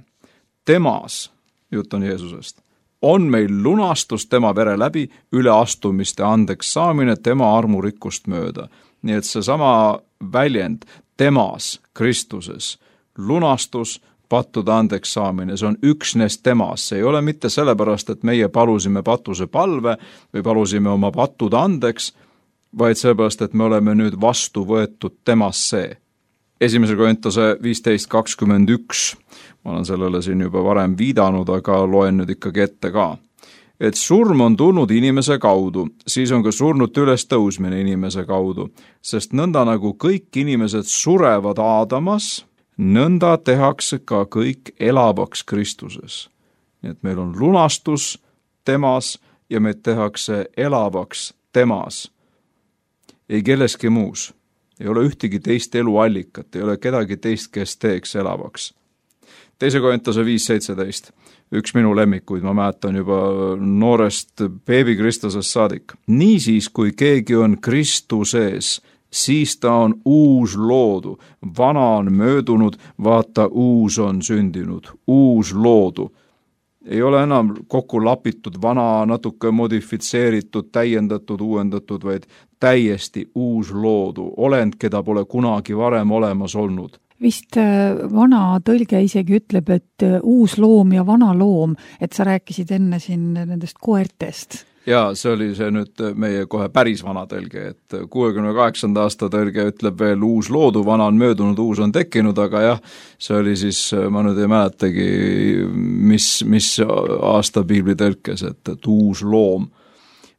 Speaker 3: Temas, jutt on Jeesusest, on meil lunastus tema vere läbi, üleastumiste andeks saamine tema armurikkust mööda. Nii et see sama väljend, temas Kristuses, lunastus, pattude andeks saamine, see on üksnes temas, see ei ole mitte sellepärast, et meie palusime patuse palve või palusime oma pattude andeks, vaid sellepärast, et me oleme nüüd vastu võetud temasse. Esimese Korintuse viisteist kakskümmend üks, ma olen sellele siin juba varem viidanud, aga loen nüüd ikkagi ette ka. Et surm on tulnud inimese kaudu, siis on ka surnud üles tõusmine inimese kaudu, sest nõnda nagu kõik inimesed surevad Aadamas, nõnda tehakse ka kõik elavaks Kristuses. Nii et meil on lunastus temas ja meid tehakse elavaks temas. Ei kelleski muus. Ei ole ühtegi teist eluallikat, ei ole kedagi teist, kes teeks elavaks. Teise Korintuse viis seitseteist. Üks minu lemmikuid, ma mäletan juba noorest beebi Kristusest saadik. Niisiis, kui keegi on Kristuses, siis ta on uus loodu, vana on möödunud, vaata uus on sündinud, uus loodu. Ei ole enam kokku lapitud, vana, natuke modifitseeritud, täiendatud, uuendatud, vaid täiesti uus loodu, olend, keda pole kunagi varem olemas olnud.
Speaker 2: Vist vana tõlge isegi ütleb, et uus loom ja vana loom, et sa rääkisid enne siin nendest koertest.
Speaker 3: Jaa, see oli see nüüd meie kohe päris vana tõlge, et kuuekümne kaheksanda aasta tõlge ütleb veel uus loodu, vana on möödunud, uus on tekkinud, aga jah, see oli siis, ma nüüd ei mäletagi, mis, mis aasta piibli tõlkes, et, et uus loom.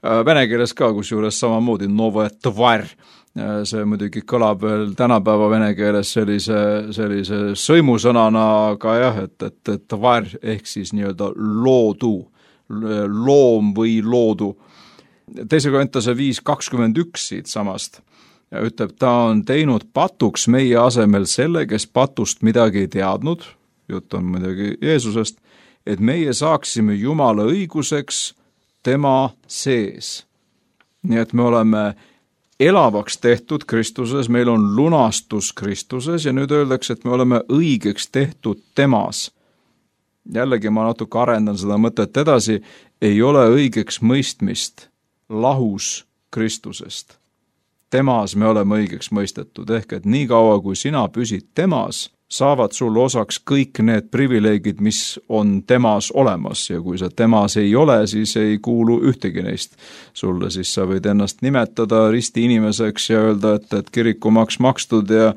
Speaker 3: Vene keeles ka, kus juures samamoodi novo tvar, see muidugi kõlab veel tänapäeva vene keeles sellise, sellise sõimusõnana, aga jah, et, et, et tvar ehk siis nii-öelda loodu, loom või loodu. Teise Korintuse viis kakskümmend üks siit samast ja ütleb, ta on teinud patuks meie asemel selle, kes patust midagi ei teadnud, jutt on muidugi Jeesusest, et meie saaksime Jumala õiguseks tema sees. Nii et me oleme elavaks tehtud Kristuses, meil on lunastus Kristuses ja nüüd öeldakse, et me oleme õigeks tehtud temas. Jällegi ma natuke arendan seda mõtet edasi, ei ole õigeks mõistmist lahus Kristusest. Temas me oleme õigeks mõistetud, ehk et nii kaua, kui sina püsid temas, saavad sul osaks kõik need privileegid, mis on temas olemas ja kui sa temas ei ole, siis ei kuulu ühtegi neist sulle, siis sa võid ennast nimetada risti inimeseks ja öelda, et, et kirikumaks makstud ja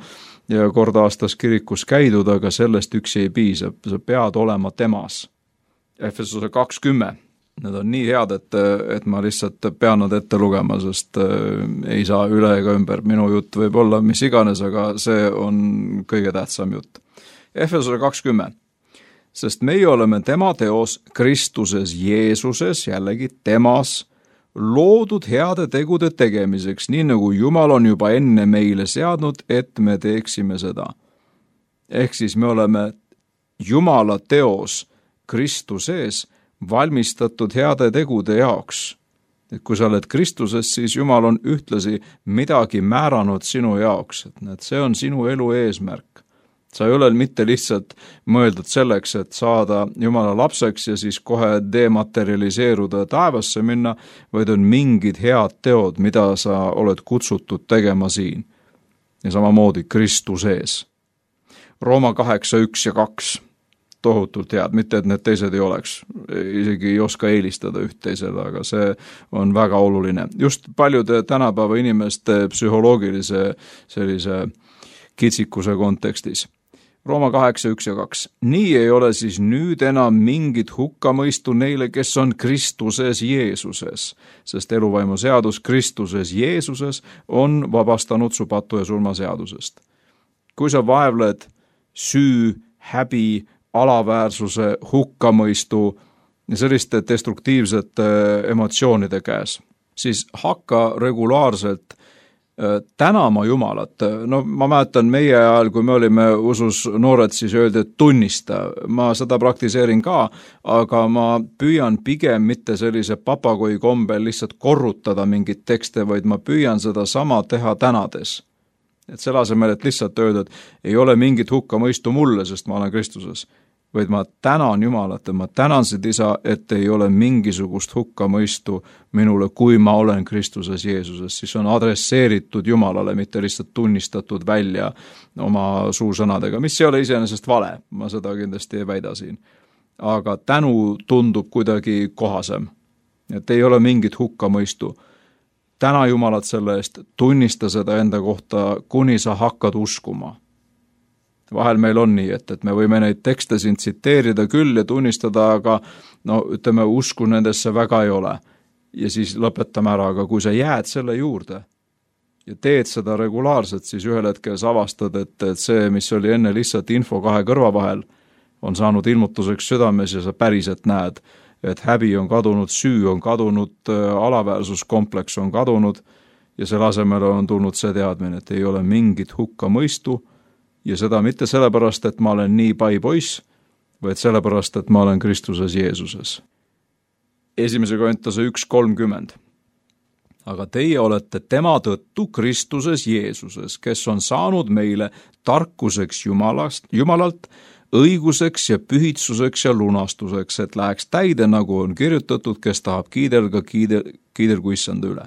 Speaker 3: ja kord aastas kirikus käidud, aga sellest üksi ei piisa, sa pead olema temas. Efesuse kakskümmend, need on nii head, et, et ma lihtsalt pean nad ette lugema, sest ei saa üle ega ümber. Minu jutt võib olla mis iganes, aga see on kõige tähtsam jutt. Efesuse kakskümmend, sest meie oleme tema teos Kristuses Jeesuses, jällegi temas, loodud heade tegude tegemiseks, nii nagu Jumal on juba enne meile seadnud, et me teeksime seda. Ehk siis me oleme Jumala teos Kristuses valmistatud heade tegude jaoks. Et kui sa oled Kristuses, siis Jumal on ühtlasi midagi määranud sinu jaoks, et see on sinu elu eesmärk. Sa ei ole mitte lihtsalt mõeldud selleks, et saada Jumala lapseks ja siis kohe dematerialiseeruda taevasse minna, vaid on mingid head teod, mida sa oled kutsutud tegema siin. Ja samamoodi Kristuses. Rooma kaheksa, üks ja kaks, tohutult head, mitte et need teised ei oleks, isegi ei oska eelistada üht teisele, aga see on väga oluline. Just paljude tänapäeva inimeste psühholoogilise sellise kitsikuse kontekstis. Rooma kaheksa, üks ja kaks. Nii ei ole siis nüüd enam mingit hukkamõistu neile, kes on Kristuses Jeesuses, sest eluvaimu seadus Kristuses Jeesuses on vabastanud su patu ja surma seadusest. Kui sa vaevled süü, häbi, alaväärsuse, hukkamõistu ja selliste destruktiivsete emotsioonide käes, siis hakka regulaarselt tänama Jumalat. No ma mäletan meie ajal, kui me olime usus noored, siis öeldi, et tunnista. Ma seda praktiseerin ka, aga ma püüan pigem mitte sellise papagoi kombel lihtsalt korrutada mingit tekste, vaid ma püüan seda sama teha tänades. Et selle asemel, et lihtsalt öelda, et ei ole mingit hukkamõistu mulle, sest ma olen Kristuses, vaid ma tänan Jumalat ja ma tänan seda isa, et ei ole mingisugust hukkamõistu minule, kui ma olen Kristuses Jeesuses, siis on adresseeritud Jumalale, mitte lihtsalt tunnistatud välja oma suusõnadega, mis ei ole iseenesest vale, ma seda kindlasti ei väida siin. Aga tänu tundub kuidagi kohasem, et ei ole mingit hukkamõistu. Täna Jumalat selle eest, tunnista seda enda kohta, kuni sa hakkad uskuma. Vahel meil on nii, et, et me võime neid tekste siin tsiteerida küll ja tunnistada, aga no ütleme, usku nendesse väga ei ole. Ja siis lõpetame ära, aga kui sa jääd selle juurde ja teed seda regulaarselt, siis ühel hetkel sa avastad, et, et see, mis oli enne lihtsalt info kahe kõrva vahel, on saanud ilmutuseks südames ja sa päriselt näed, et häbi on kadunud, süü on kadunud, alaväärsuskompleks on kadunud ja selle asemel on tulnud see teadmine, et ei ole mingit hukkamõistu. Ja seda mitte sellepärast, et ma olen nii pai poiss, vaid sellepärast, et ma olen Kristuses Jeesuses. Esimese Korintuse üks kolmkümmend. Aga teie olete tema tõttu Kristuses Jeesuses, kes on saanud meile tarkuseks Jumalast, Jumalalt, õiguseks ja pühitsuseks ja lunastuseks, et läheks täide, nagu on kirjutatud, kes tahab kiidelga, kiidel, kiidelgu issanda üle.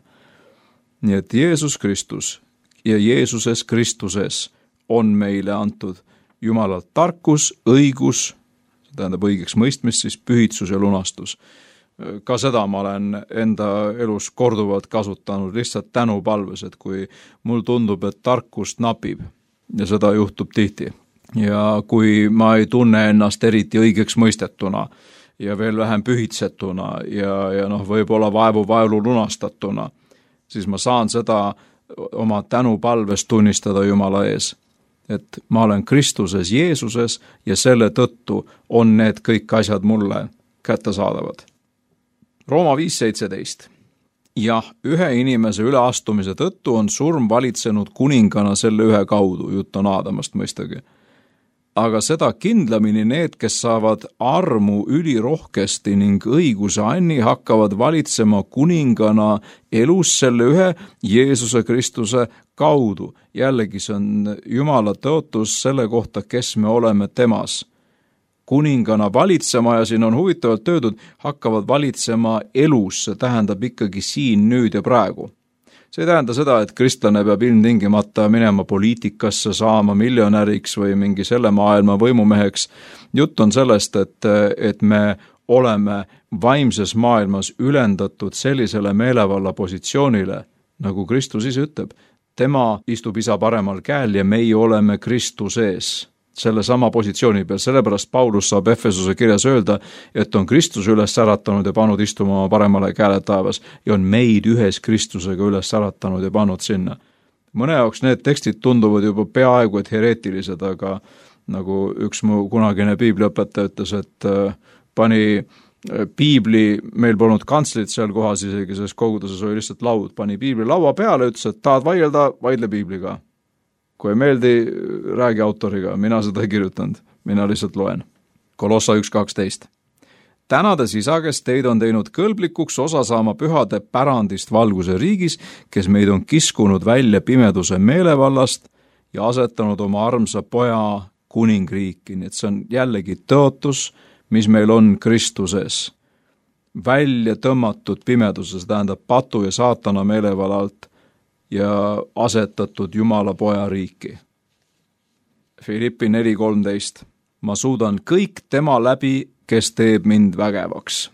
Speaker 3: Nii et Jeesus Kristus ja Jeesuses Kristuses on meile antud Jumalalt tarkus, õigus, tähendab õigeks mõistmist, siis pühitsus ja lunastus. ka seda ma olen enda elus korduvalt kasutanud lihtsalt tänupalves, et kui mul tundub, et tarkust napib ja seda juhtub tihti ja kui ma ei tunne ennast eriti õigeks mõistetuna ja veel vähem pühitsetuna ja, ja noh, võib-olla vaevu vaelu lunastatuna, siis ma saan seda oma tänupalves tunnistada Jumala ees, et ma olen Kristuses Jeesuses ja selle tõttu on need kõik asjad mulle kättesaadavad. Rooma viis seitseteist. Jah, ühe inimese üleastumise tõttu on surm valitsenud kuningana selle ühe kaudu, jutt on Aadamast mõistagi. Aga seda kindlamini need, kes saavad armu ülirohkesti ning õiguse anni, hakkavad valitsema kuningana elus selle ühe Jeesuse Kristuse kaudu. Jällegi see on Jumala tõotus selle kohta, kes me oleme temas. Kuningana valitsema ja siin on huvitavalt öeldud, hakkavad valitsema elus, see tähendab ikkagi siin, nüüd ja praegu. See ei tähenda seda, et kristlane peab ilmtingimata minema poliitikasse, saama miljonäriks või mingi selle maailma võimumeheks. Jutt on sellest, et, et me oleme vaimses maailmas ülendatud sellisele meelevalla positsioonile, nagu Kristus ise ütleb. Tema istub isa paremal käel ja meie oleme Kristuses selle sama positsiooni peal. Sellepärast Paulus saab Efesuse kirjas öelda, et on Kristus üles äratanud ja pannud istuma oma paremale käele taevas ja on meid ühes Kristusega üles äratanud ja pannud sinna. Mõne jaoks need tekstid tunduvad juba peaaegu et hereetilised, aga nagu üks mu kunagine piibliõpetaja ütles, et pani piibli, meil polnud kantslit seal kohas isegi, sest koguduses oli lihtsalt laud, pani piibli laua peale, ütles, et tahad vaielda, vaidle piibliga. Kui ei meeldi, räägi autoriga, mina seda ei kirjutanud, mina lihtsalt loen. Kolossa üks kaksteist. Tänades isa, kes teid on teinud kõlblikuks osa saama pühade pärandist valguse riigis, kes meid on kiskunud välja pimeduse meelevallast ja asetanud oma armsa poja kuningriiki. Nii et see on jällegi tõotus, mis meil on Kristuses. Välja tõmmatud pimeduses, tähendab patu ja saatana meelevallalt ja asetatud Jumala poja riiki. Filippi neli kolmteist. Ma suudan kõik tema läbi, kes teeb mind vägevaks.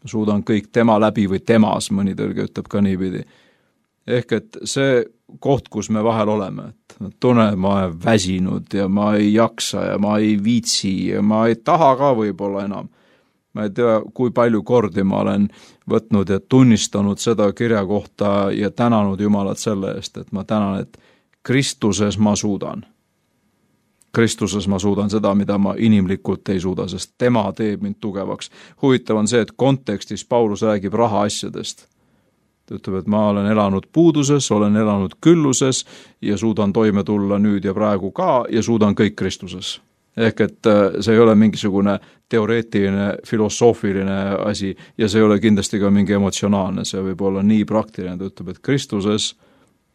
Speaker 3: Ma suudan kõik tema läbi või temas, mõni tõlge ütleb ka niipidi. Ehk et see koht, kus me vahel oleme, et tunnen, ma olen väsinud ja ma ei jaksa ja ma ei viitsi ja ma ei taha ka võib-olla enam. Ma ei tea, kui palju kordi ma olen võtnud ja tunnistanud seda kirja kohta ja tänanud Jumalat selle eest, et ma tänan, et Kristuses ma suudan. Kristuses ma suudan seda, mida ma inimlikult ei suuda, sest tema teeb mind tugevaks. Huvitav on see, et kontekstis Paulus räägib raha asjadest. Ta ütleb, et ma olen elanud puuduses, olen elanud külluses ja suudan toime tulla nüüd ja praegu ka ja suudan kõik Kristuses. Ehk et see ei ole mingisugune teoreetiline, filosoofiline asi ja see ei ole kindlasti ka mingi emotsionaalne, see võib olla nii praktiline, ta ütleb, et Kristuses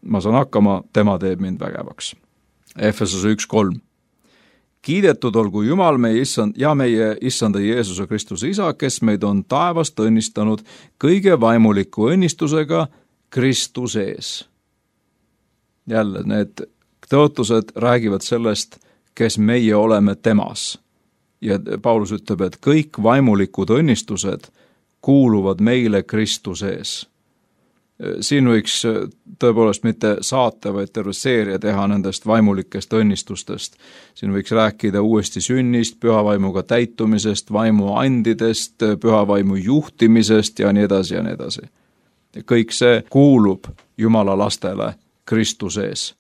Speaker 3: ma saan hakkama, tema teeb mind vägevaks. Efesuse üks kolm. Kiidetud olgu Jumal meie issand ja meie issanda Jeesuse Kristuse isa, kes meid on taevast õnnistanud kõige vaimuliku õnnistusega Kristuses. Jälle, need tõotused räägivad sellest, kes meie oleme temas. Ja Paulus ütleb, et kõik vaimulikud õnnistused kuuluvad meile Kristuses. Siin võiks tõepoolest mitte saate, vaid terve seeria teha nendest vaimulikest õnnistustest. Siin võiks rääkida uuesti sünnist, pühavaimuga täitumisest, vaimu andidest, pühavaimu juhtimisest ja nii edasi ja nii edasi. Ja kõik see kuulub Jumala lastele Kristuses.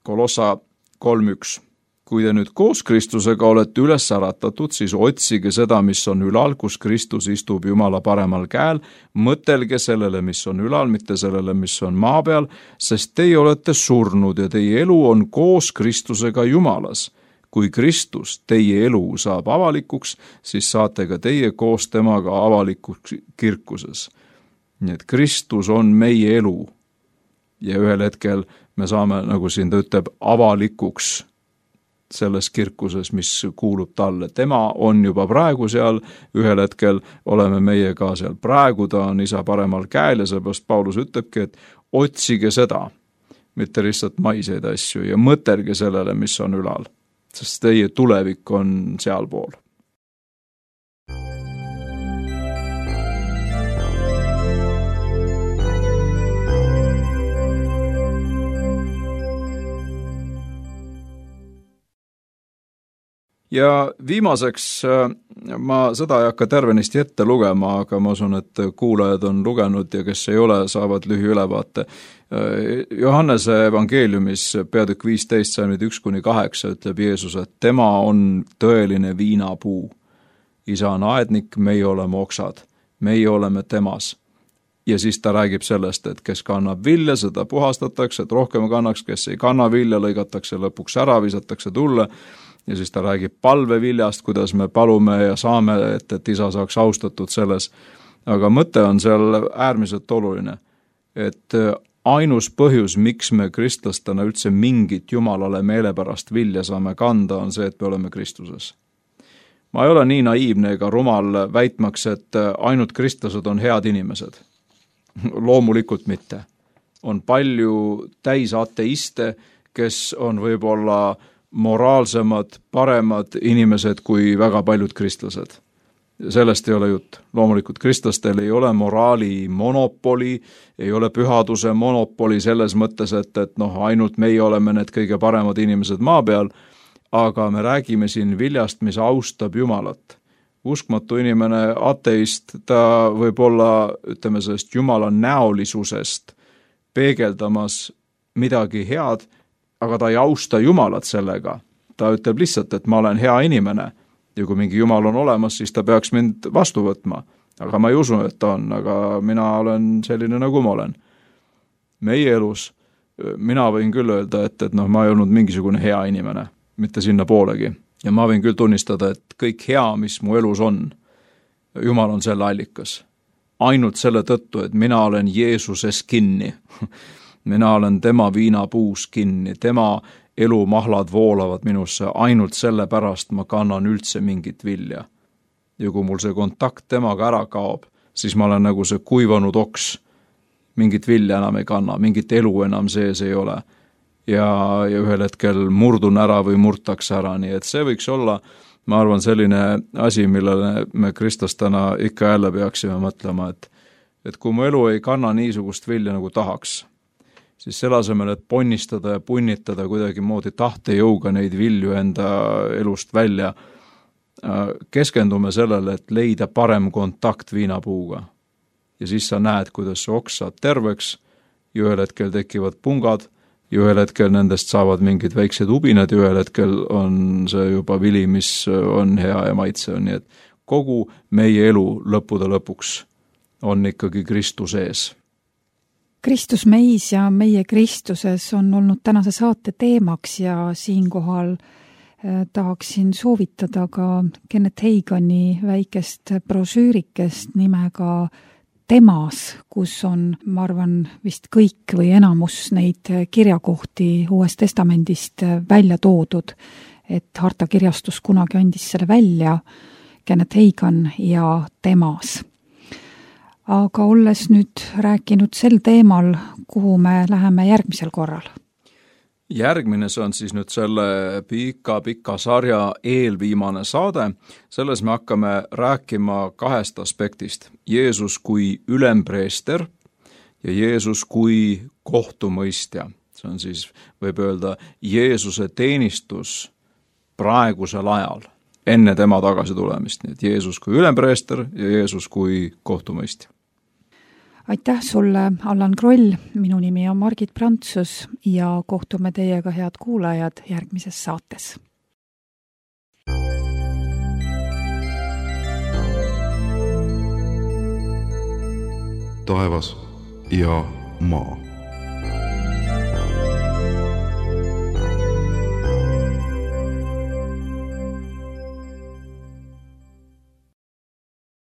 Speaker 3: Kolossa kolm üks. Kui te nüüd koos Kristusega olete üles äratatud, siis otsige seda, mis on ülal, kus Kristus istub Jumala paremal käel, mõtelge sellele, mis on ülal, mitte sellele, mis on maa peal, sest teie olete surnud ja teie elu on koos Kristusega Jumalas. Kui Kristus teie elu saab avalikuks, siis saate ka teie koos temaga avalikuks kirkuses. Nii et Kristus on meie elu ja ühel hetkel me saame, nagu siin ta ütleb, avalikuks selles kirkuses, mis kuulub talle. Tema on juba praegu seal, ühel hetkel oleme meie ka seal. Praegu ta on isa paremal käel ja seepärast Paulus ütlebki, et otsige seda, mitte lihtsalt maiseid asju ja mõtelge sellele, mis on ülal, sest teie tulevik on sealpool. ja viimaseks, ma seda ei hakka tervenisti ette lugema, aga ma usun, et kuulajad on lugenud ja kes ei ole, saavad lühiülevaate. Johannese evangeeliumis peatükk viisteist, salmid üks kuni kaheksa ütleb Jeesus, et tema on tõeline viinapuu. Isa on aednik, meie oleme oksad, meie oleme temas. Ja siis ta räägib sellest, et kes kannab vilja, seda puhastatakse, et rohkem kannaks, kes ei kanna vilja, lõigatakse lõpuks ära, visatakse tulle. Ja siis ta räägib palveviljast, kuidas me palume ja saame, et, et isa saaks austatud selles. Aga mõte on seal äärmiselt oluline, et ainus põhjus, miks me kristlastena üldse mingit Jumalale meelepärast vilja saame kanda, on see, et me oleme Kristuses. Ma ei ole nii naiivne ega rumal väitmaks, et ainult kristlased on head inimesed. Loomulikult mitte. On palju täis ateiste, kes on võib-olla moraalsemad, paremad inimesed kui väga paljud kristlased. Sellest ei ole jutt. Loomulikult kristlastel ei ole moraali monopoli, ei ole pühaduse monopoli selles mõttes, et, et noh, ainult meie oleme need kõige paremad inimesed maa peal, aga me räägime siin viljast, mis austab Jumalat. Uskmatu inimene, ateist, ta võib olla, ütleme sellest Jumala näolisusest peegeldamas midagi head, aga ta ei austa Jumalat sellega. Ta ütleb lihtsalt, et ma olen hea inimene ja kui mingi Jumal on olemas, siis ta peaks mind vastu võtma. Aga ma ei usu, et ta on, aga mina olen selline, nagu ma olen. Meie elus, mina võin küll öelda, et, et noh, ma ei olnud mingisugune hea inimene, mitte sinna poolegi. Ja ma võin küll tunnistada, et kõik hea, mis mu elus on, Jumal on selle allikas. Ainult selle tõttu, et mina olen Jeesuses kinni. Mina olen tema viinapuus kinni, tema elumahlad voolavad minusse, ainult selle pärast ma kannan üldse mingit vilja. Ja kui mul see kontakt temaga ära kaob, siis ma olen nagu see kuivanud oks. Mingit vilja enam ei kanna, mingit elu enam sees ei ole. Ja, ja ühel hetkel murdun ära või murtakse ära, nii et see võiks olla, ma arvan, selline asi, millele me kristlastena ikka jälle peaksime mõtlema, et, et kui mu elu ei kanna niisugust vilja nagu tahaks, siis selle asemel, et ponnistada ja punnitada kuidagi moodi tahtejõuga neid vilju enda elust välja, keskendume sellele, et leida parem kontakt viinapuuga. Ja siis sa näed, kuidas see oks saab terveks ja ühel hetkel tekivad pungad ja ühel hetkel nendest saavad mingid väiksed ubinad ja ühel hetkel on see juba vili, mis on hea ja maitse. Nii et kogu meie elu lõppude lõpuks on ikkagi Kristus ees.
Speaker 2: Kristus meis ja meie Kristuses on olnud tänase saate teemaks ja siinkohal eh, tahaksin soovitada ka Kenneth Hagini väikest brošüürikest nimega Temas, kus on, ma arvan, vist kõik või enamus neid kirjakohti Uuest Testamendist välja toodud, et Harta kirjastus kunagi andis selle välja, Kenneth Hagin ja Temas. Aga olles nüüd rääkinud sel teemal, kuhu me läheme järgmisel korral?
Speaker 3: Järgmine see on siis nüüd selle pika-pika sarja eelviimane saade. Selles me hakkame rääkima kahest aspektist. Jeesus kui ülempreester ja Jeesus kui kohtumõistja. See on siis, võib öelda, Jeesuse teenistus praegusel ajal, enne tema tagasi tulemist. Nii et Jeesus kui ülempreester ja Jeesus kui kohtumõistja.
Speaker 2: Aitäh sulle, Allan Kroll, minu nimi on Margit Prantsus ja kohtume teiega, head kuulajad, järgmises saates.
Speaker 1: Taevas ja maa.